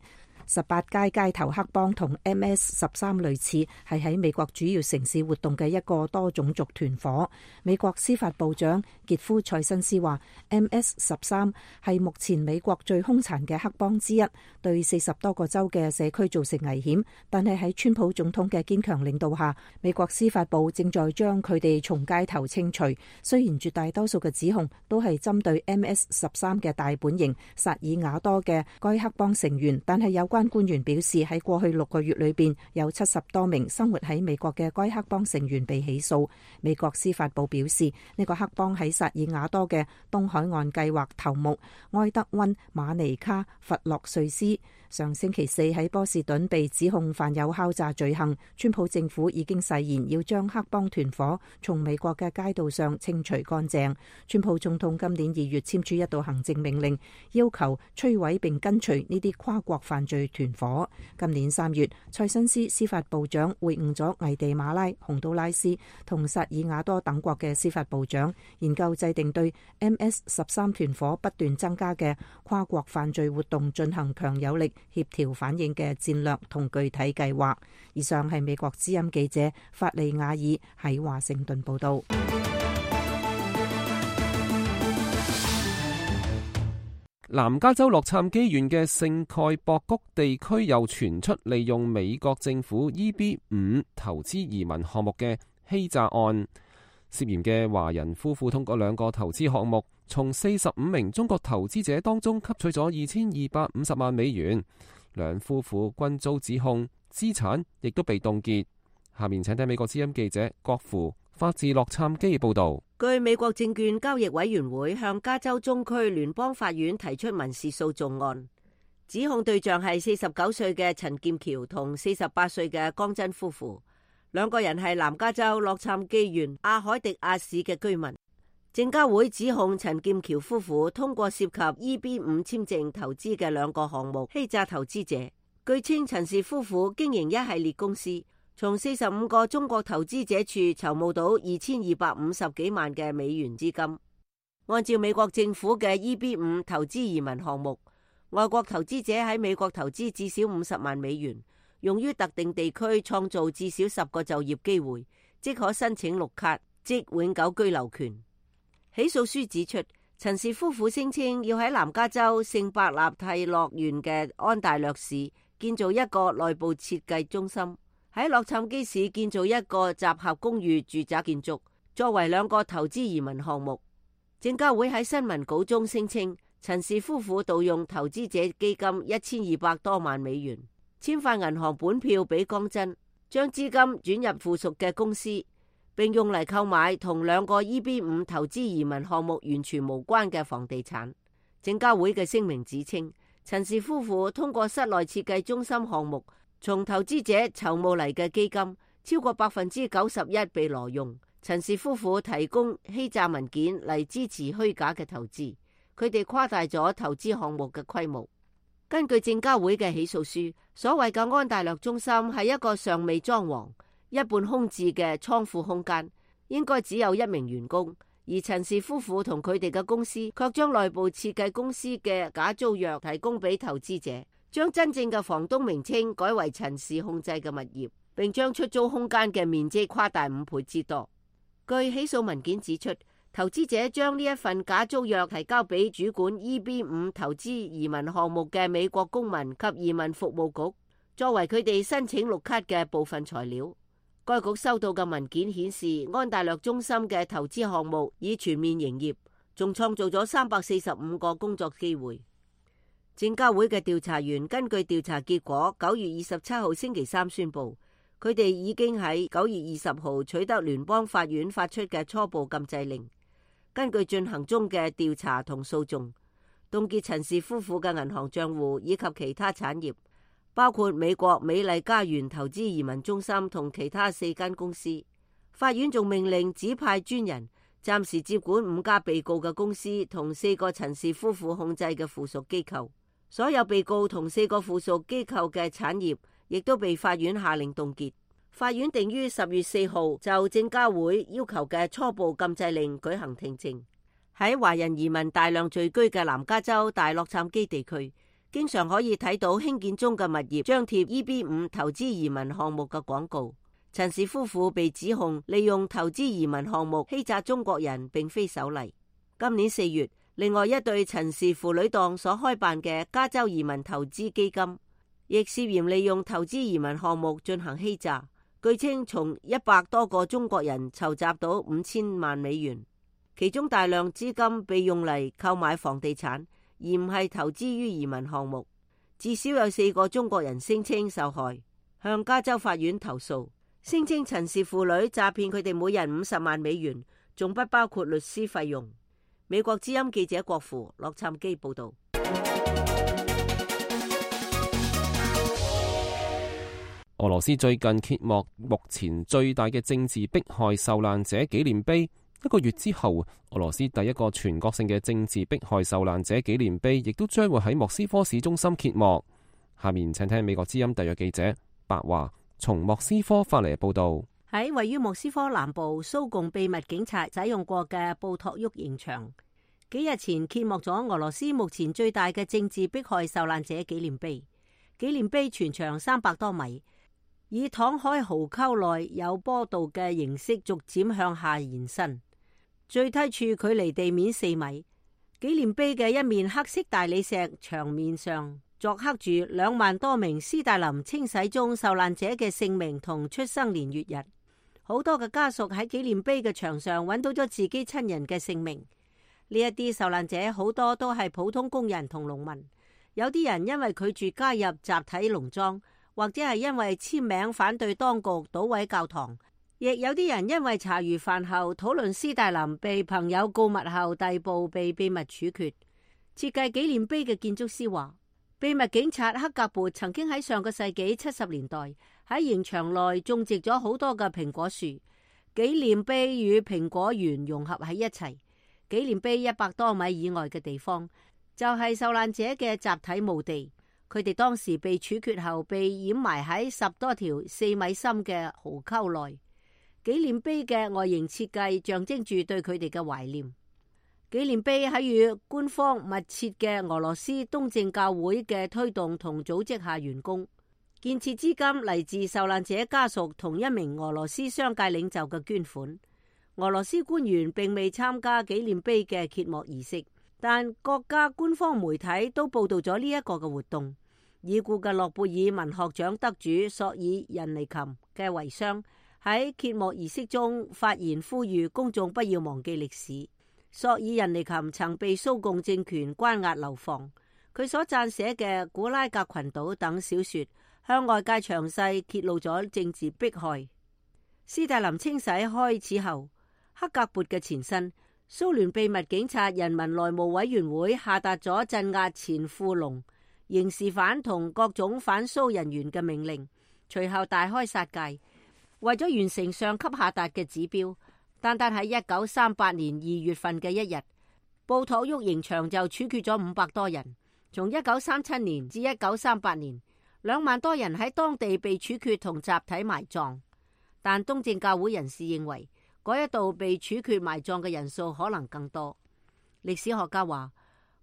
18街街頭黑幫同 MS-13 類似，係喺美國主要城市活動嘅一個多種族團伙。美國司法部長傑夫塞申斯話 MS-13 係目前美國最兇殘嘅黑幫之一，對40多個州嘅社區造成危險，但係喺川普總統嘅堅強領導下，美國司法部正在將佢哋從街頭清除。雖然絕大多數嘅指控都係針對 MS-13 嘅大本營薩爾瓦多嘅該黑幫成員，但係有關官員表示，喺過去6個月裏邊，有70多名生活喺美國嘅該黑幫成員被起訴。美國司法部表示，呢個黑幫喺薩爾瓦多嘅東海岸計劃頭目埃德溫馬尼卡弗洛瑞斯上星期4喺波士頓被指控犯有敲詐罪行。川普政府已經誓言要將黑幫團伙從美國嘅街道上清除乾淨。川普總統今年2月簽署一道行政命令，要求摧毀並根除呢啲跨國犯罪團伙。今年3月，塞申斯司法部長會晤咗危地馬拉、洪都拉斯同薩爾瓦多等國嘅司法部長，研究制定對 MS-13 團伙不斷增加嘅跨國犯罪活動進行強有力協調反應嘅戰略同具體計劃。以上係美國之音記者法利亞爾喺華盛頓報道。南加州洛杉磯縣嘅聖蓋博谷地區又傳出利用美國政府 EB5 投資移民項目嘅欺詐案，涉嫌嘅華人夫婦通過2個投資項目，從45名中國投資者當中吸取咗2250萬美元，兩夫婦均遭指控，資產亦都被凍結。下面請聽美國之音記者郭芙發自洛杉磯報道。據美國證券交易委員會向加州中區聯邦法院提出民事訴訟案，指控對象係49歲嘅陳劍橋同48歲嘅江真夫婦，2個人係南加州洛杉磯縣阿海迪亞市嘅居民。證交會指控陳劍橋夫婦通過涉及 EB5 簽證投資嘅2個項目欺詐投資者。據稱，陳氏夫婦經營一系列公司，從45個中國投資者處籌募到2250幾萬嘅美元資金。按照美國政府嘅 EB5 投資移民項目，外國投資者喺美國投資至少50萬美元，用於特定地區創造至少10個就業機會，即可申請綠卡，即永久居留權。起訴書指出，陳氏夫婦聲稱要喺南加州聖伯納蒂諾縣嘅安大略市建造一個內部設計中心，喺洛杉磯市建造一個集合公寓住宅建築，作為2個投資移民項目。證交會喺新聞稿中聲稱，陳氏夫婦盜用投資者基金1200多萬美元，簽發銀行本票俾江真，將資金轉入附屬嘅公司，並用嚟購買同2個 EB5 投資移民項目完全無關嘅房地產。證交會嘅聲明指稱，陳氏夫婦通過室內設計中心項目，從投資者籌募嚟嘅基金超過91%被挪用。陳氏夫婦提供欺詐文件嚟支持虛假嘅投資，佢哋誇大咗投資項目嘅規模。根據證交會嘅起訴書，所謂嘅安大略中心係一個尚未裝潢、一半空置嘅倉庫空間，應該只有1名員工，而陳氏夫婦同佢哋嘅公司卻將內部設計公司嘅假租約提供俾投資者，將真正嘅房東名稱改為陳氏控制嘅物業，並將出租空間嘅面積誇大5倍之多。據起訴文件指出，投資者將呢一份假租約提交俾主管 EB5 投資移民項目嘅美國公民及移民服務局，作為佢哋申請綠卡嘅部分材料。該局收到嘅文件顯示，安大略中心嘅投資項目已全面營業，仲創造咗345個工作機會。證交會嘅調查員根據調查結果，9月27號星期3宣布，佢哋已經喺9月20號取得聯邦法院發出嘅初步禁制令，根據進行中嘅調查同訴訟，凍結陳氏夫婦嘅銀行賬戶以及其他產業，包括美國美麗家園投資移民中心同其他4間公司。法院仲命令指派專人暫時接管5家被告嘅公司同4個陳氏夫婦控制嘅附屬機構。所有被告同4個附屬機構嘅產業亦都被法院下令凍結。法院定於10月4號就證交會要求嘅初步禁制令舉行聽證。喺華人移民大量聚居嘅南加州大洛杉磯地區，經常可以睇到興建中嘅物業張貼 EB5 投資移民項目嘅廣告。陳氏夫婦被指控利用投資移民項目欺詐中國人，並非首例。今年4月，另外一對陳氏父女檔所開辦嘅加州移民投資基金，亦涉嫌利用投資移民項目進行欺詐。據稱，從100多個中國人籌集到5000萬美元，其中大量資金被用嚟購買房地產，而唔係投資於移民項目。至少有4個中國人聲稱受害，向加州法院投訴，聲稱陳氏父女詐騙佢哋每人50萬美元，仲不包括律師費用。美國之音記者郭芙洛杉磯報道。俄羅斯最近揭幕目前最大嘅政治迫害受難者紀念碑。1個月之後，俄羅斯第一個全國性嘅政治迫害受難者紀念碑亦都將會喺莫斯科市中心揭幕。下面請聽美國之音特約記者白華從莫斯科發嚟報道。喺位於莫斯科南部蘇共秘密警察使用過嘅布托沃刑場，幾日前揭幕咗俄羅斯目前最大嘅政治迫害受難者紀念碑。紀念碑全長300多米，以躺喺壕溝內有坡道嘅形式逐漸向下延伸，最低處距離地面4米。紀念碑嘅一面黑色大理石牆面上鑿刻住2萬多名斯大林清洗中受難者嘅姓名同出生年月日。好多嘅家屬喺紀念碑嘅牆上揾到咗自己親人嘅姓名。呢一啲受難者好多都係普通工人同農民，有啲人因為拒絕加入集體農莊，或者係因為簽名反對當局搗毀教堂，亦有啲人因為茶餘飯後討論斯大林被朋友告密後逮捕被秘密處決。設計紀念碑嘅建築師話，秘密警察克格勃曾經喺上個世紀70年代喺刑場內種植咗好多嘅蘋果樹，紀念碑與蘋果園融合喺一齊。紀念碑100多米以外嘅地方就係受難者嘅集體墓地，佢哋當時被處決後被掩埋喺10多條4米深嘅壕溝內。紀念碑嘅外形設計象徵住對佢哋嘅懷念。紀念碑喺與官方密切嘅俄羅斯東正教會嘅推動同組織下完工。建設資金嚟自受難者家屬同一名俄羅斯商界領袖嘅捐款。俄羅斯官員並未參加紀念碑嘅揭幕儀式，但國家官方媒體都報道咗呢一個嘅活動。已故嘅諾貝爾文學獎得主索爾仁尼琴嘅遺孀喺揭幕儀式中發言，呼籲公眾不要忘記歷史。索爾仁尼琴曾被蘇共政權關押流放，佢所撰寫嘅《古拉格群島》等小說向外界詳細揭露咗政治迫害。斯大林清洗開始後，克格勃嘅前身蘇聯秘密警察人民內務委員會下達咗鎮壓前富農、刑事犯同各種反蘇人員嘅命令，隨後大開殺戒。為咗完成上級下達嘅指標，單單喺1938年2月份嘅一日，布托沃刑場就處決咗500多人。從1937年至1938年，2萬多人喺當地被處決同集體埋葬。但東正教會人士認為，嗰一度被處決埋葬嘅人數可能更多。歷史學家話，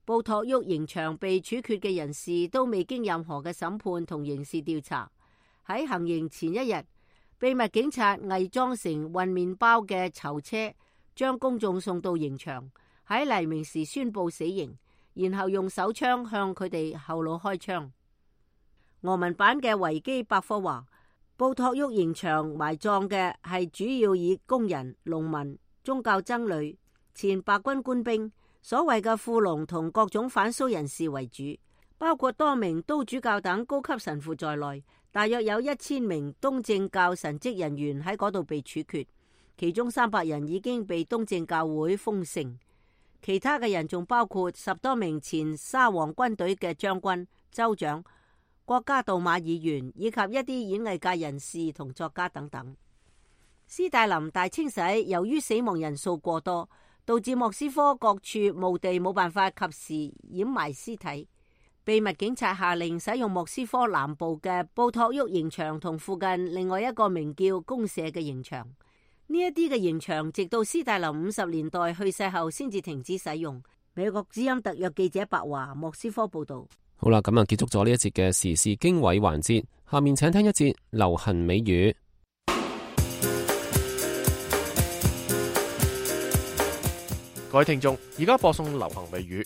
布托沃刑場被處決嘅人士都未經任何嘅審判同刑事調查。喺行刑前一日，秘密警察偽裝成運麵包嘅囚車，將公眾送到刑場，喺黎明時宣布死刑，然後用手槍向佢哋後腦開槍。俄文版嘅維基百科話，布托沃刑場埋葬嘅係主要以工人、農民、宗教僧侶、前白軍官兵、所謂嘅富農同各種反蘇人士為主，包括多名都主教等高級神父在內，大約有1000名東正教神職人員喺嗰度被處決，其中300人已經被東正教會封聖，其他嘅人仲包括10多名前沙皇軍隊嘅將軍、州長、國家杜馬議員以及一啲演藝界人士同作家等等。斯大林大清洗由於死亡人數過多，導致莫斯科各處墓地冇辦法及時掩埋屍體。秘密警察下令使用莫斯科南部嘅布托沃刑場同附近另外一個名叫公社嘅刑場。呢一啲嘅刑場直到斯大林50年代去世後先至停止使用。美國之音特約記者白華莫斯科報道。好啦，咁啊結束咗呢一節嘅時事經緯環節，下面請聽一節流行美語。各位聽眾，而家播送流行美語。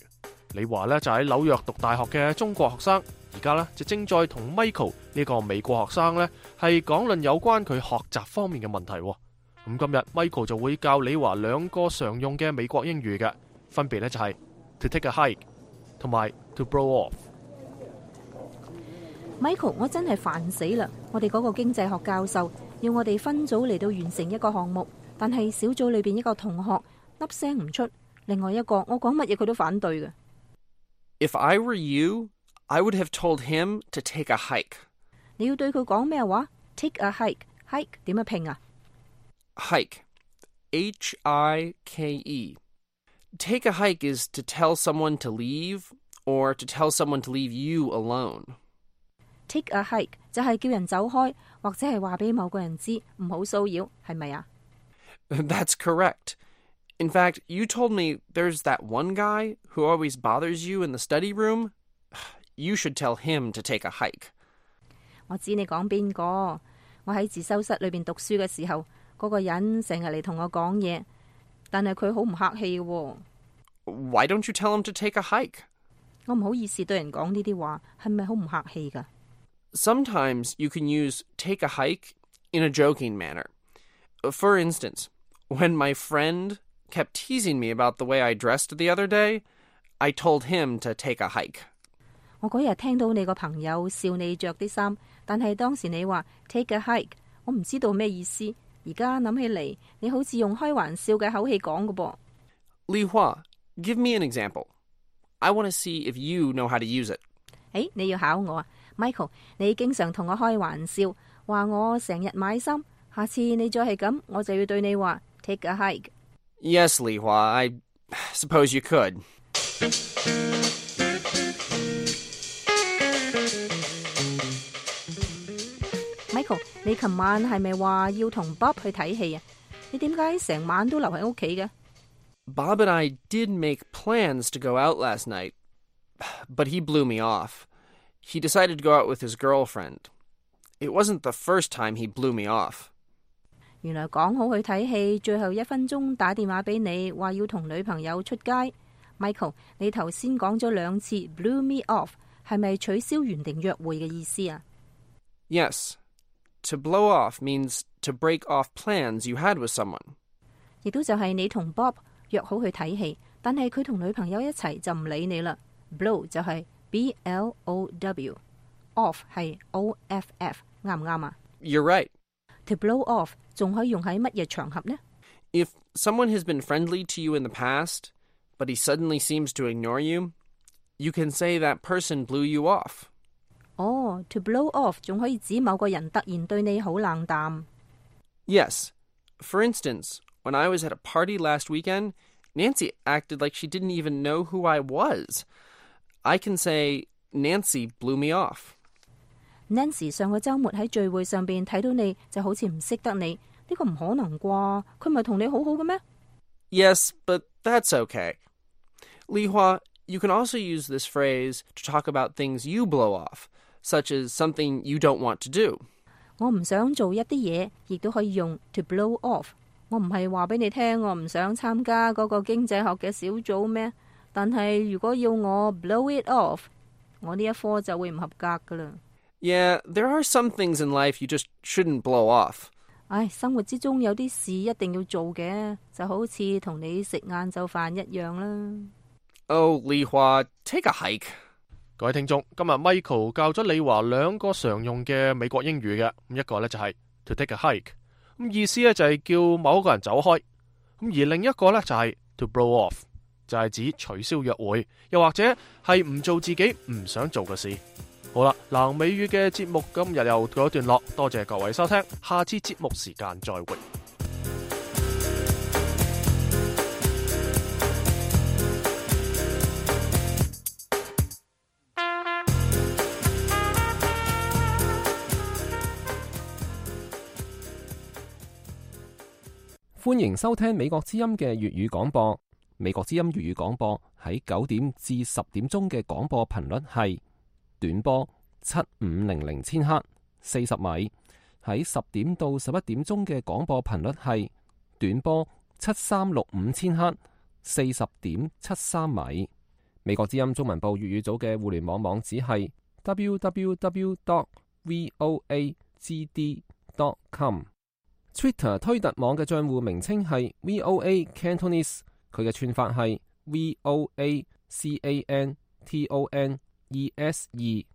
李華呢就喺紐約讀大學嘅中國學生，而家呢就正在同 Michael 呢個美國學生呢係講論有關佢學習方面嘅問題。咁今日 Michael 就會教李華2個常用嘅美國英語嘅，分別呢就係 to take a hike 同埋 to blow off。Michael， 我真係煩死啦！我哋嗰個經濟學教授要我哋分組嚟到完成一個項目，但係小組裏邊一個同學粒聲唔出，另外一個我講乜嘢佢都反對嘅。If I were you, I would have told him to take a hike. 你要對佢講咩話 ？Take a hike，hike 點樣拼啊 ？Hike, H-I-K-E. Take a hike is to tell someone to leave, or to tell someone to leave you alone. Take a hike 就係叫人走開，或者係話俾某個人知唔好騷擾，係咪啊？ That's correct. In fact, you told me there's that one guy who always bothers you in the study room. You should tell him to take a hike. 我知你講邊個？我喺自修室裏邊讀書嘅時候，嗰個人成日嚟同我講嘢，但係佢好唔客氣嘅。Why don't you tell him to take a hike? 我唔好意思對人講呢啲話，係咪好唔客氣㗎？ Sometimes you can use take a hike in a joking manner. For instance, when my friend kept teasing me about the way I dressed the other day, I told him to take a hike. 我嗰日聽到你個朋友笑你着啲衫，但係當時你話 take a hike， 我唔知道咩意思。而家諗起嚟，你好似用開玩笑嘅口氣講嘅噃。Li Hua, give me an example. I want to see if you know how to use it. 你要考我啊 ，Michael， 你經常同我開玩笑，話我成日買衫，下次你再係咁，我就要對你話 take a hike. Yes, Li Hua, I suppose you could. Michael， 你琴晚係咪話要同 Bob 去睇戲啊？你點解成晚都留喺屋企嘅？ Bob and I did make plans to go out last night, but he blew me off. He decided to go out with his girlfriend. It wasn't the first time he blew me off. 原來講好去睇戲，最後1分鐘打電話俾你，話要同女朋友出街。Michael， 你頭先講咗2次 blew me off， 係咪取消原定約會嘅意思啊？ Yes. To blow off means to break off plans you had with someone. 亦都就係你同 Bob 約好去睇戲，但係佢同女朋友一齊就唔理你啦。Blow 就係 B-L-O-W，off 係 O-F-F， 啱唔啱啊？ You're right. To blow off 仲可以用喺乜嘢場合呢？ If someone has been friendly to you in the past, but he suddenly seems to ignore you, you can say that person blew you off. To blow off 仲可以指某個人突然對你好冷淡。Yes. For instance, when I was at a party last weekend, Nancy acted like she didn't even know who I was. I can say, Nancy blew me off. Nancy 上個週末喺聚會上邊睇到你就好似唔識得你，呢個唔可能啩？佢唔係同你好好嘅咩？ Yes, but that's okay. Li Hua, you can also use this phrase to talk about things you blow off, such as something you don't want to do. 我唔想做一啲嘢，亦都可以用 to blow off。我唔係話俾你聽，我唔想參加嗰個經濟學嘅小組咩？但係如果要我 blow it off， 我呢一科就會唔合格噶啦。Yeah, there are some things in life you just shouldn't blow off. 生活之中有啲事一定要做嘅，就好似同你食晏晝飯一樣啦。Oh, Li Hua, take a hike. 各位聽眾，今日 Michael 教咗李華2個常用嘅美國英語嘅，一個呢就係 to take a hike， 意思呢就係叫某一個人走開，而另一個呢就係 to blow off， 就係指取消約會，又或者係唔做自己唔想做嘅事。好啦，南美語嘅節目今日又告一段落，多謝各位收聽，下次節目時間再會。歡迎收聽美國之音嘅粵語廣播。美國之音粵語廣播喺9點至10點鐘嘅廣播頻率係短波7500千赫40米，喺10點到11點鐘嘅廣播頻率係短波7365千赫40.73米。美國之音中文部粵語組嘅互聯網網址係 www.voagd.com。Twitter 推特網嘅賬戶名稱係 VOA Cantonese， 佢嘅串法係 VOACANTONESE。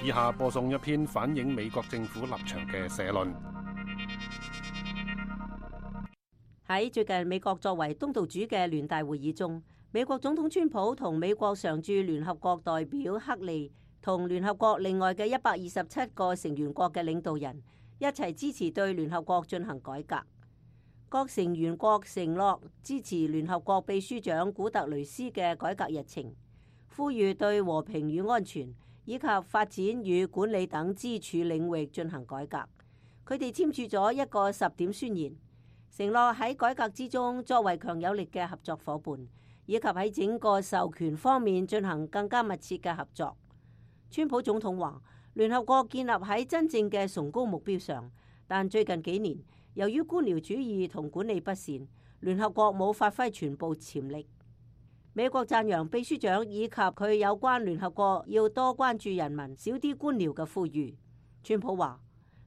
以下播送一篇反映美國政府立場嘅社論。喺最近美國作為東道主嘅聯大會議中，美國總統川普同美國常駐聯合國代表克利同聯合國另外嘅127個成員國嘅領導人一齊支持對聯合國進行改革。各成員國承諾支持聯合國秘書長古特雷斯嘅改革日程，呼籲對和平與安全以及發展與管理等支柱領域進行改革。佢哋簽署咗一個10點宣言，承諾喺改革之中作為強有力嘅合作夥伴，以及喺整個授權方面進行更加密切嘅合作。川普總統話，聯合國建立喺真正嘅崇高目標上，但最近幾年由於官僚主義同管理不善，聯合國冇發揮全部潛力。美國讚揚秘書長以及佢有關聯合國要多關注人民、少啲官僚嘅呼籲。川普話，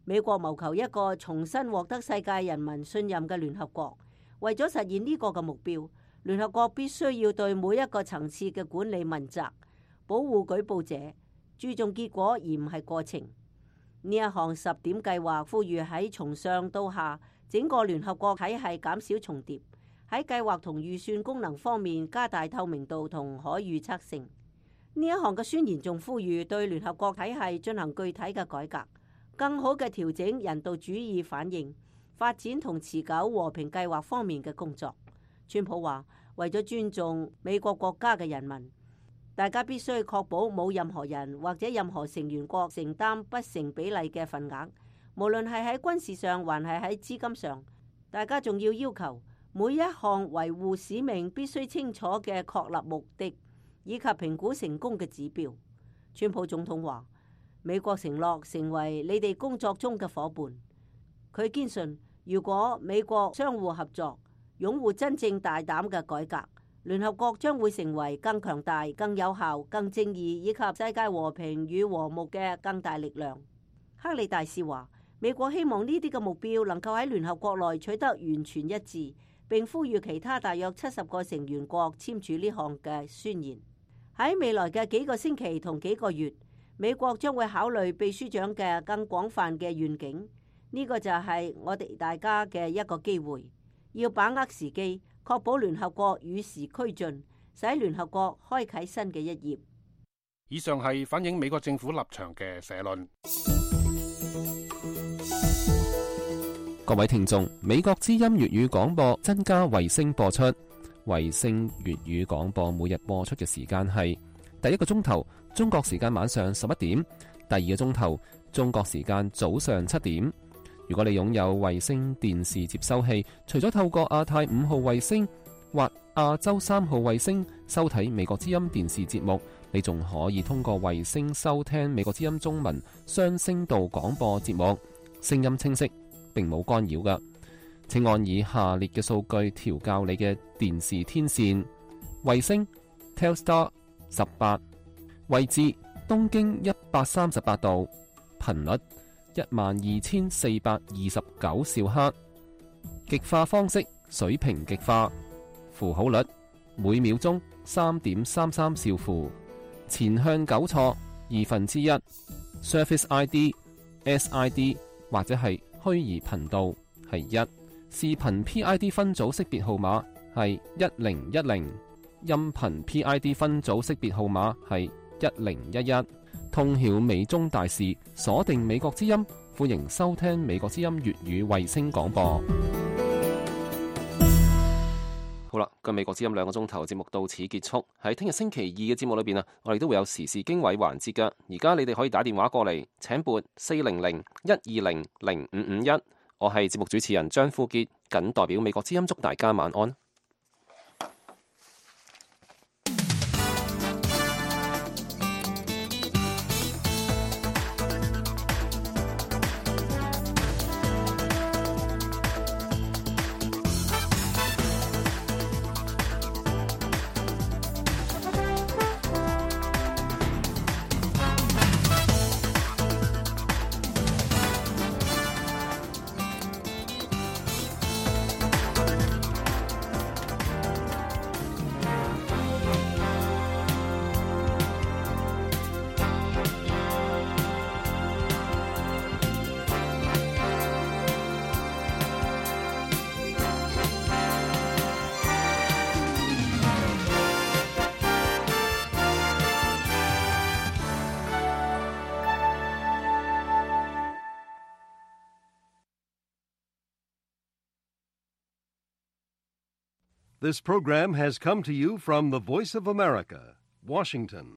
美國謀求一個重新獲得世界人民信任嘅聯合國，為咗實現呢個嘅目標，聯合國必須要對每一個層次嘅管理問責，保護舉報者，注重結果而唔係過程。呢一項10點計劃呼籲喺從上到下整個聯合國體系減少重疊，喺計劃同預算功能方面加大透明度同可預測性。呢一項嘅宣言仲呼籲對聯合國體系進行具體嘅改革，更好嘅調整人道主義反應、發展同持久和平計劃方面嘅工作。川普話，為咗尊重美國國家嘅人民，大家必須確保冇任何人或者任何成員國承擔不成比例嘅份額，無論係喺軍事上還係喺資金上。大家仲要求每一項維護使命必須清楚嘅確立目的，以及評估成功嘅指標。川普總統話，美國承諾成為你哋工作中嘅夥伴。佢堅信，如果美國相互合作，擁護真正大膽嘅改革，聯合國將會成為更強大、更有效、更正義以及世界和平與和睦嘅更大力量。克里大使話，美國希望呢啲嘅目標能夠喺聯合國內取得完全一致，並呼籲其他大約70個成員國簽署呢項嘅宣言。喺未來嘅幾個星期同幾個月，美國將會考慮秘書長嘅更廣泛嘅願景。呢個就係我哋大家嘅一個機會，要把握時機，確保聯合國與時俱進，使聯合國開啟新嘅一頁。以上係反映美國政府立場嘅社論。各位聽眾，美國之音粵語廣播增加衛星播出。衛星粵語廣播每日播出嘅時間係第一個鐘頭中國時間晚上11點，第二個鐘頭中國時間早上7點。如果你擁有衛星電視接收器，除咗透過亞太5號衛星或亞洲3號衛星收睇美國之音電視節目，你仲可以通過衛星收聽美國之音中文雙聲道廣播節目，聲音清晰，並冇干擾㗎。請按以下列嘅數據調校你嘅電視天線：衛星 Telstar 18，位置東經138度，頻率12429兆赫，極化方式水平極化，符號率每秒鐘3.33兆符，前向糾錯1/2， Surface ID SID 或者係虛擬頻道係1，視頻 PID 分組識別號碼係1010，音頻 PID 分組識別號碼係1011。通曉美中大事，鎖定美國之音，歡迎收聽美國之音粵語衛星廣播。好啦，個美國之音2個鐘頭節目到此結束。喺聽日星期2嘅節目裏邊啊，我哋都會有時事經緯環節噶。而家你哋可以打電話過嚟，請撥400-120-0551。我係節目主持人張富傑，謹代表美國之音祝大家晚安。This program has come to you from the Voice of America, Washington.